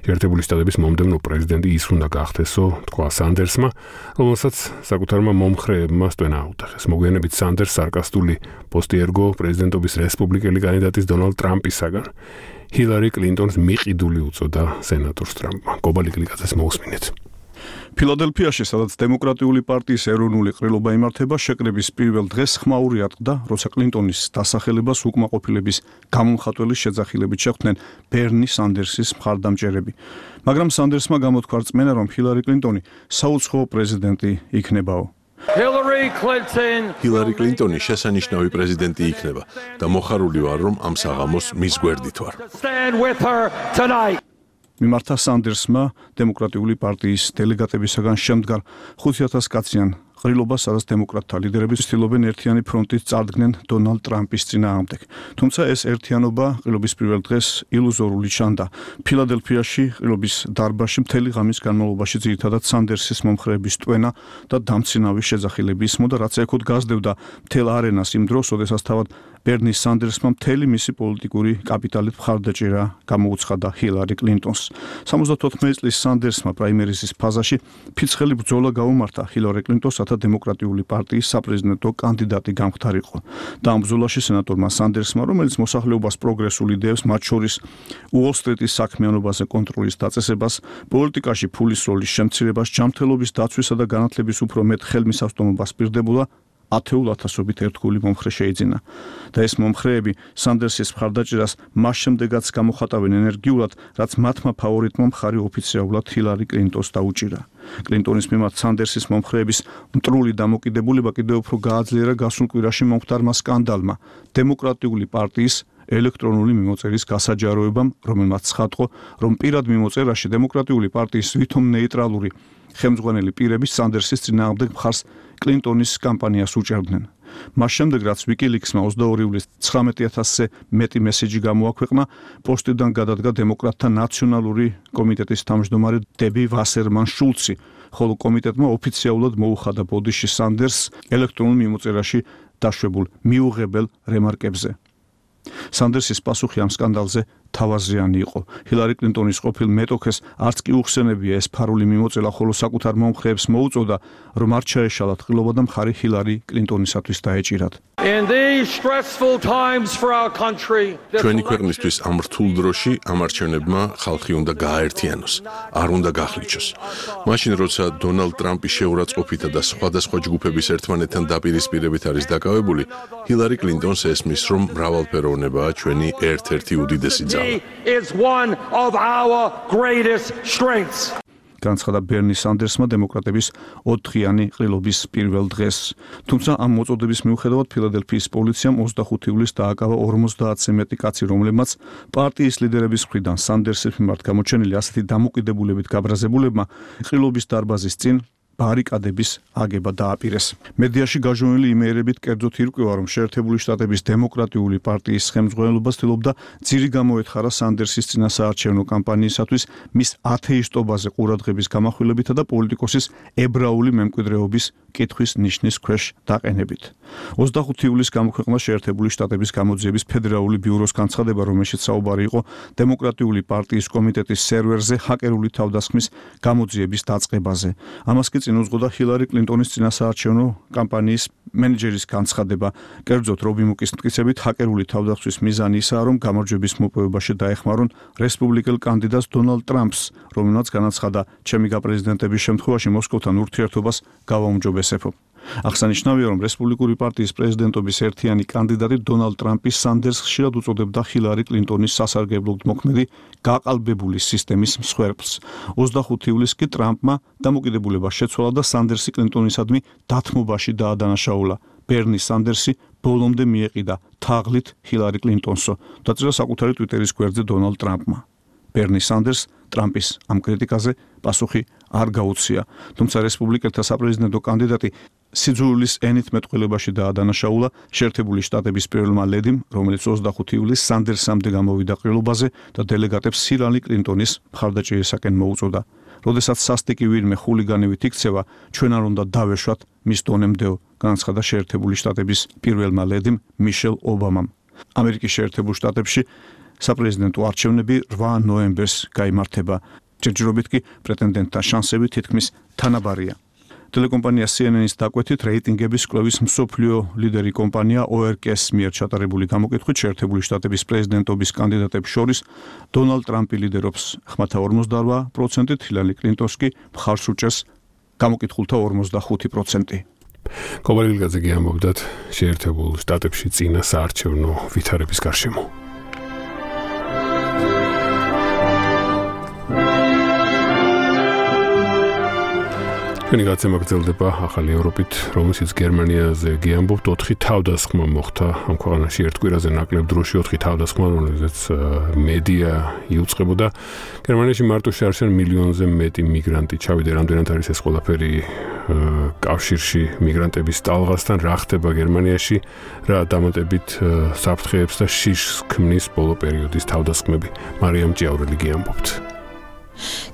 შეერთებული შტატების მომდევნო პრეზიდენტი ის უნდა გახდესო, თქვა სანდერსმა, რომელსაც საკუთარმა მომხრეებმა სტვენა აუტახეს. მოგვიანებით სანდერს სარკასტული პოსტი ერგო პრეზიდენტობის რესპუბლიკელი კანდიდატის დონალდ ტრამპისაგან. ჰილარი კლინტონს მიყიდული უწოდა სენატორს ტრამპმა. გობალი კლიკაძეს მოусმინეთ. ფილადელფიაში, სადაც დემოკრატიული პარტიის ეროვნული ყრილობა იმართება, შეკრების პირველ დღეს ხმაური ატყდა, როცა კლინტონის დასახელებას უკმაყოფილების გამომხატველის შეძახილებით შეხვდნენ ბერნი სანდერსის მხარდამჭერები. მაგრამ სანდერსმა გამოთქვა რწმენა, რომ ჰილარი კლინტონი საუცხოო პრეზიდენტი იქნებაო. ჰილარი კლინტონი შესანიშნავი პრეზიდენტი იქნება და მოხარული ვარ, რომ ამ საღამოს მის გვერდით ვარ. მიმართა სანდერსმა დემოკრატიული პარტიის დელეგატებისაგან შემდგარ ხუთი ათას კაციან ყრილობა, სადაც დემოკრატთა ლიდერები ცდილობენ ერთიანი ფრონტით წარდგნენ დონალდ ტრამპის წინააღმდეგ. თუმცა ეს ერთიანობა ყრილობის პირველ დღეს ილუზორული ჩანდა. ფილადელფიაში ყრილობის დარბაზში მთელი ღამის განმავლობაში ძირითადად სანდერსის მომხრეების ტვენა და დამცინავი შეძახილები ისმოდა, რაც ეკოთ გაზრდებდა მთელ არენას იმ დროს, როდესაც თავად ბერნი სანდერსმა მთელი მისი პოლიტიკური კაპიტალით მხარდაჭერა გამოუცხადა ჰილარი კლინტონს. სამოცდათოთხმეტი წლის სანდერსმა პრაიმერიზის ფაზაში ფიცხელი ბრძოლა გაუმართა ჰილარი კლინტონს, რათა დემოკრატიული პარტიის საპრეზიდენტო კანდიდატი გამხდარიყო. და ამ ბრძოლაში სენატორმა სანდერსმა, რომელიც მოსახლეობას პროგრესულ იდეებს, მათ შორის უოლ-სტრიტის საქმიანობაზე კონტროლის დაწესებას, პოლიტიკაში ფულის როლის შემცირებას, ჯანმრთელობის დაცვისა და განათლების უფრო მეტ ხელმისაწვდომობას პირდებოდა, ათეულ ათასობით ერთგული მომხრე შეიძინა და ეს მომხრეები სანდერსის მხარდაჭერას მას შემდეგაც გამოხატავენ ენერგიულად, რაც მათმა ფავორიტმა მხარი ოფიციალურად ჰილარი კლინტონს დაუჭირა. კლინტონის მიმართ სანდერსის მომხრეების მტრული დამოკიდებულება კიდევ უფრო გააძლიერა გასულ კვირაში მომხდარმა სკანდალმა, დემოკრატიული პარტიის ელექტრონული მიმოწერის გასაჯაროებამ, რომელმაც ცხადყო, რომ პირად მიმოწერაში დემოკრატიული პარტიის ვითომ ნეიტრალური ხელმძღვანელი პირები სანდერსის წინააღმდეგ მხარს კლინტონის კამპანიას უჭერდნენ. მას შემდეგ, რაც ვიკილიქსმა ოცდაორი ივლისს ცხრამეტი ათასზე მეტი მესეჯი გამოაქვეყნა, პოსტიდან გადადგა დემოკრატთა ნაციონალური კომიტეტის თავმჯდომარე დები ვასერმან შულცი, ხოლო კომიტეტმა ოფიციალურად მოუხადა ბოდიში სანდერსს ელექტრონულ მიმოწერაში დაშვებულ მიუღებელ რემარკებზე. სანდერსის პასუხი ამ სკანდალზე თავაზიანი იყო. ჰილარი კლინტონის ყოფილ მეტოქეს არც კი უხსენებია ეს ფარული მიმოწერა, ხოლო საკუთარ მომხრეებს მოუწოდა, რომ არ ჩაეშალათ ყრილობა და მხარი ჰილარი კლინტონისათვის დაეჭირათ. ჩვენი ქვეყნისთვის ამ რთულ დროში ამ არჩევნებმა ხალხი უნდა გააერთიანოს, არ უნდა გახლიჩოს. მაშინ, როცა დონალდ ტრამპი შეურაცხყოფითა და სხვადასხვა ჯგუფების ერთმანეთთან დაპირისპირებით არის დაკავებული, ჰილარი კლინტონს ესმის, რომ მრავალფეროვნებაა ჩვენი ერთ-ერთი უდიდესი ძალა. is one of our greatest strengths. განცხადა ბერნი სანდერსმა დემოკრატების ოთხიანი ყრილობის პირველ დღეს. თუმცა ამ მოწოდების მიუხედავად ფილადელფიის პოლიციამ ოცდახუთი ივლისს დააკავა ორმოცდაათზე მეტი კაცი, რომლებმაც პარტიის ლიდერების მხრიდან სანდერსის მიმართ გამოჩენილი ასეთი დამოკიდებულებით გაბრაზებულებმა ყრილობის დარბაზის წინ ბარიკადების აგება დააპირეს. მედიაში გაჟონილი იმეერებით კერძოდ ირკვევა, რომ შეერთებული შტატების დემოკრატიული პარტიის ხელმძღვანელობა ცდილობდა ძირი გამოეთხარა სანდერსის წინასაარჩევნო კამპანიისათვის მის ათეისტობაზე ყურადღების გამახვილებითა და პოლიტიკოსის ებრაული მემკვიდრეობის კითხვის ნიშნის ქვეშ დაყენებით. ოცდახუთი ივლისს გამოქვეყნდა შეერთებული შტატების გამოძიების ფედერალური ბიუროს განცხადება, რომელშიც საუბარი იყო დემოკრატიული პარტიის კომიტეტის სერვერზე ჰაკერული თავდასხმის გამოძიების დაწყებაზე. ამას კი წინ უძღოდა ჰილარი კლინტონის წინასაარჩევნო კამპანიის მენეჯერის განცხადება. კერძოდ, რობი მუკის მტკიცებით, ჰაკერული თავდასხმის მიზანი ისაა, რომ გამარჯვების მოპოვებაში დაეხმარონ რესპუბლიკელ კანდიდატს დონალდ ტრამპს, რომელმაც განაცხადა, ჩემი გაპრეზიდენტების შემთხვევაში მოსკოვთან ურთიერთობას გავაუმჯობესებო. აღსანიშნავია, რომ რესპუბლიკური პარტიის პრეზიდენტობის ერთიანი კანდიდატი დონალდ ტრამპი სანდერსს ხშირად უწოდებდა ჰილარი კლინტონის სასარგებლოდ მოქმედი გაყალბებული სისტემის მსხვერპლს. ოცდახუთი ივლისს კი ტრამპმა დამოკიდებულება შეცვალა და სანდერსი კლინტონისადმი დათმობაში დაადანაშაულა. ბერნი სანდერსი ბოლომდე მიეყიდა თაღლით ჰილარი კლინტონსო, დაწერა საკუთარი ტვიტერის გვერდზე დონალდ ტრამპმა. ბერნი სანდერს ტრამპის ამ კრიტიკაზე პასუხი არ გაუცია, თუმცა რესპუბლიკელთა საპრეზიდენტო კანდიდატი სიძულვილის ენით მეტყველებაში დაადანაშაულა შეერთებული შტატების პირველმა ლედიმ, რომელიც ოცდახუთი ივლისს სანდერსამდე გამოვიდა ყრილობაზე და დელეგატებს ჰილარი კლინტონის მხარდაჭერისაკენ მოუწოდა. როდესაც სასტიკი ვინმე ხულიგანივით იქცევა, ჩვენ არ უნდა დავეშვათ მის დონემდეო, განაცხადა შეერთებული შტატების პირველმა ლედიმ მიშელ ობამამ. ამერიკის შეერთებულ შტატებში საპრეზიდენტო არჩევნები რვა ნოემბერს გაიმართება. ჯერჯერობით კი პრეტენდენტთა შანსები თითქმის თანაბარია. ტელეკომპანია C N N-ის დაკვეთით, რეიტინგების კვლევის მსოფლიო ლიდერი კომპანია O R K-ს მიერ ჩატარებული გამოკითხვით შეერთებული შტატების პრეზიდენტობის კანდიდატებს შორის დონალდ ტრამპი ლიდერობს ხმათა ორმოცდარვა პროცენტით, ჰილარი კლინტონს კი მხარს უჭერს გამოკითხულთა ორმოცდახუთი პროცენტი. კობალილგაძე გიამბობდათ შეერთებულ შტატებში წინა საარჩევნო ვითარების გარშემო. ჩვენი გაცემა გრძელდება ახალი ევროპით, რომელშიც გერმანიაზე გიამბობთ ოთხი თავდასხმა მოხდა ამ ქვეყანაში ერთ კვირაზე ნაკლებ დროში ოთხი თავდასხმა, რომელზეც მედია იუწყებოდა. გერმანიაში მარტო შეარჩენ მილიონზე მეტი მიგრანტი ჩავიდა, რამდენად არის ეს ყველაფერი კავშირში მიგრანტების ტალღასთან რა ხდება გერმანიაში, რა დამატებით საფრთხეებს და შიშს ქმნის ბოლო პერიოდის თავდასხმები. მარიამ ჭიაურელი ამბობთ.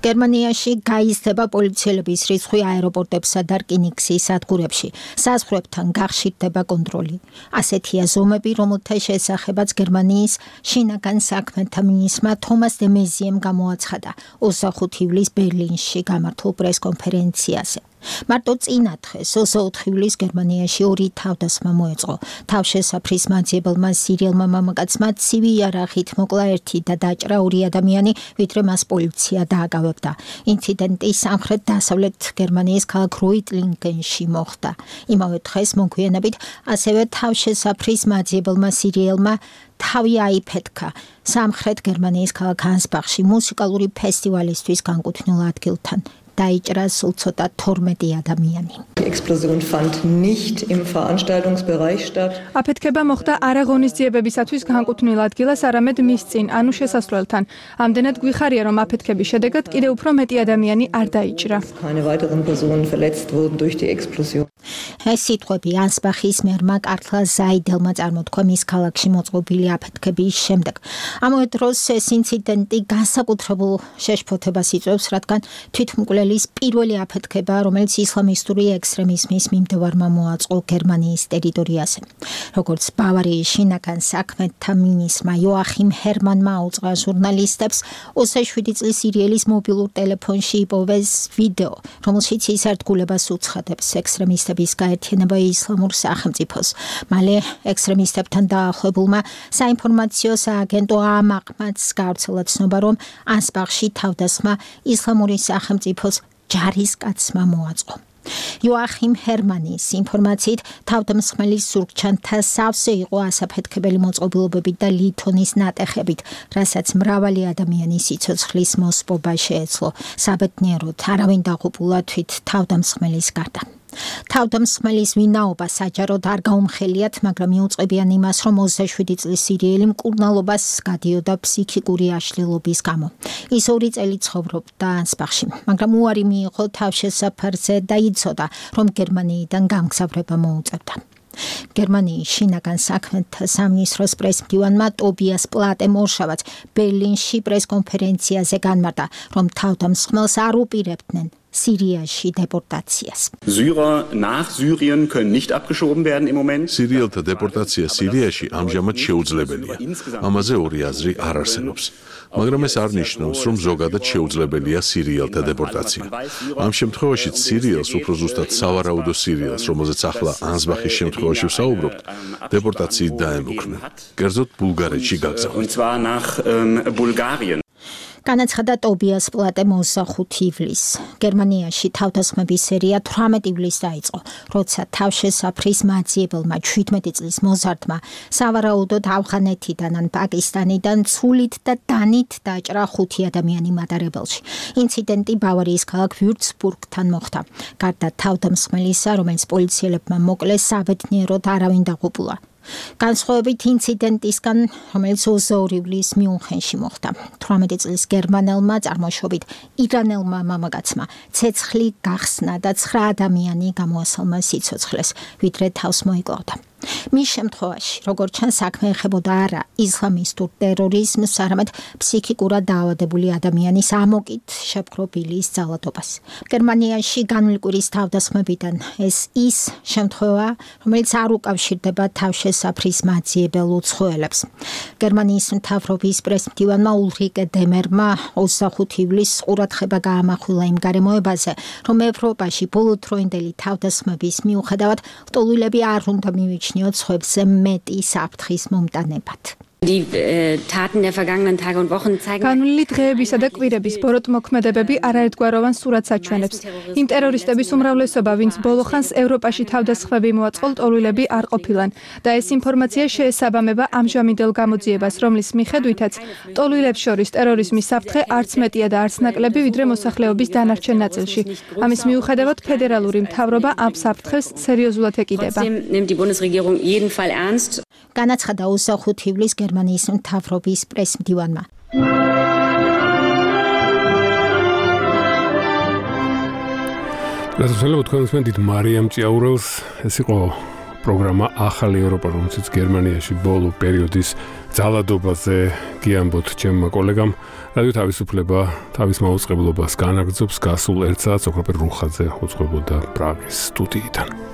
გერმანიაში გაიზრდება პოლიციელების რიცხვი აეროპორტებსა და რკინიგზის სადგურებში. საზღვრებთან გახშირდება კონტროლი. ასეთია ზომები, რომელთა შესახებაც გერმანიის შინაგან საქმეთა მინისტრმა თომას დე მეზიემ გამოაცხადა ოცდახუთი ივლისს ბერლინში გამართულ პრესკონფერენციაზე. მარტო წინა დღეს ოცდაოთხი ივლისს გერმანიაში ორი თავდასხმა მოეწყო. თავშესაფრის მაძიებელმა სირიელმა მამაკაცმა ცივი იარაღით მოკლა ერთი და დაჭრა ორი ადამიანი, ვიდრე მას პოლიცია დააკავებდა. ინციდენტი სამხრეთ-დასავლეთ გერმანიის ქალაქ როიტლინგენში მოხდა. იმავე დღეს მოგვიანებით ასევე თავშესაფრის მაძიებელმა სირიელმა თავი აიფეთქა სამხრეთ გერმანიის ქალაქ ანსბახში მუსიკალური ფესტივალისთვის განკუთვნილ ადგილთან. დაიჭრა სულ ცოტა თორმეტი ადამიანი. Die Explosion fand nicht im Veranstaltungsbereich statt. აფეთქება მოხდა არა ღონისძიებებისათვის განკუთვნილ ადგილას, არამედ მის წინ, ანუ შესასვლელთან. ამდენად გვიხარია, რომ აფეთქების შედეგად კიდევ უფრო მეტი ადამიანი არ დაიჭრა. Keine weiteren Personen verletzt wurden durch die Explosion. ეს სიტყვები ანსბახის მერმა კარტლა ზაიდელმა წარმოთქვა მის ქალაქში მოწყობილი აფეთქების შემდეგ. ამავე დროს ეს ინციდენტი განსაკუთრებულ შეშფოთებას იწვევს, რადგან თვითმკვლელის პირველი აფეთქება, რომელიც ისლამისტური ექსტრემიზმის მიმდევარმა მოაწყო გერმანიის ტერიტორიაზე. როგორც ბავარიის შინაგან საქმეთა მინისტრმა იოახიმ ჰერმანმა აუწყა ჟურნალისტებს ოცდაშვიდი წლის სირიელის მობილურ ტელეფონში იპოვეს ვიდეო, რომელშიც ის ერთგულებას უცხადებს ექსტრემისტების გაერთიანება ისლამურ სახელმწიფოს. მალე ექსტრემისტებთან დაახლოებულმა საინფორმაციო სააგენტო ამაყმაც გავრცელა ცნობა, რომ ანსბახში თავდასხმა ისლამური სახელმწიფოს ჯარისკაცმა მოაწყო. იოახიმ ჰერმანის ინფორმაციით თავდამსხმელის ზურგჩანთა სავსე იყო ასაფეთქებელი მოწყობილობებით და ლითონის ნატეხებით, რასაც მრავალი ადამიანის სიცოცხლის მოსპობა შეეძლო. საბედნიეროდ არავინ დაღუპულა თვით თავდამსხმელის გარდა. თავდამსხმელის ვინაობა საჯაროდ არ გაუმხელიათ, მაგრამ მიუწყებიან იმას, რომ ოცდაშვიდი წლის სირიელი მკურნალობას გადიოდა ფსიქიკური აშლილობის გამო. ის ორი წელი ცხოვრობდა ანსბახში, მაგრამ უარი მიიღო თავშესაფარზე და იცოდა, რომ გერმანიიდან გამგზავრება მოუწევდა. გერმანიის შინაგან საქმეთა სამინისტროს პრესმდივანმა ტობიას პლატემ ორშაბათს ბერლინში პრესკონფერენციაზე განმარტა, რომ თავდამსხმელს არ უპირებდნენ სირიაში დეპორტაციას. Syrer nach Syrien können nicht abgeschoben werden im Moment. სირიელთა დეპორტაცია სირიაში ამჟამად შეუძლებელია. ამაზე ორი აზრი არ არსებობს. მაგრამ ეს არ ნიშნავს, რომ ზოგადად შეუძლებელია სირიელთა დეპორტაცია. ამ შემთხვევაშიც სირიელს, უფრო ზუსტად სავარაუდო სირიელს, რომელზეც ახლა ანსბახის შემთხვევაში ვსაუბრობთ, დეპორტაციით დაემუქრნენ. კერძოდ ბულგარეთში გაგზავნეს. Und zwar nach ähm, Bulgarien. განაცხადა ტობიას პლატემ ოცდახუთი ივლისს. გერმანიაში თავდასხმების სერია თვრამეტი ივლისს დაიწყო, როცა თავშესაფრის მაძიებელმა შვიდმეტი წლის მოზარდმა სავარაუდოდ ავღანეთიდან ან პაკისტანიდან ცულით და დანით დაჭრა ხუთი ადამიანი მატარებელში. ინციდენტი ბავარიის ქალაქ ვიურცბურგთან მოხდა. გარდა თავდამსხმელისა, რომელიც პოლიციელებმა მოკლეს, საბედნიეროდ არავინ დაღუპულა. განსხვავებით ინციდენტისგან, რომელიც ოცდაორი ივლისს მიუნხენში მოხდა. თვრამეტი წლის გერმანელმა წარმოშობით ირანელმა მამაკაცმა ცეცხლი გახსნა და ცხრა ადამიანი გამოასალმა სიცოცხლეს, ვიდრე თავს მოიკლავდა. მის შემთხვევაში, როგორც ჩანს, საქმე ეხებოდა არა ისლამისტურ ტერორიზმს, არამედ ფსიქიკურად დაავადებული ადამიანის ამოკით შეპყრობილის ძალადობას. გერმანიაში განვლკვირის თავდასხმებიდან ეს ის შემთხვევა, რომელიც არ უკავშირდება თავშესაფრის მაძიებელ უცხოელებს. გერმანიის მთავრობის პრესმდივანმა ულრიკე დემერმა ოცდახუთი ივლისს ყურადღება გაამახვილა იმ გარემოებაზე, რომ ევროპაში ბოლოდროინდელი თავდასხმების მიუხედავად ლტოლვილები არ უნდა მივიჩნიონ სხვებზე მეტი საფრთხის მომტანებად. განვლილი დღეებისა და კვირების ბოროტმოქმედებები არაერთგვაროვან სურათს აჩვენებს. იმ ტერორისტების უმრავლესობა, ვინც ბოლოხანს ევროპაში თავდასხმები მოაწყო, ლტოლვილები არ ყოფილან და ეს ინფორმაცია შეესაბამება ამჟამინდელ გამოძიებას, რომლის მიხედვითაც ლტოლვილებს შორის ტერორიზმის საფრთხე არც მეტია და არც ნაკლები, ვიდრე მოსახლეობის დანარჩენ ნაწილში. ამის მიუხედავად ფედერალური მთავრობა ამ საფრთხეს სერიოზულად ეკიდება. განაცხადა ოცდახუთი ივლისს გერმანიის მთავრობის პრესმდივანმა. გასაცილებლად თქვენ უსმენთ მარიამ ჭიაურელს, ეს იყო პროგრამა ახალი ევროპა, რომელშიც გერმანიაში ბოლო პერიოდის ძალადობაზე გიამბოთ ჩემმა კოლეგამ. რადიო თავისუფლება თავის მაუწყებლობას განაგრძობს, გასულ ერთ საათს ოქროპერ რუხაძე უძღვებოდა პრაღის სტუდიიდან.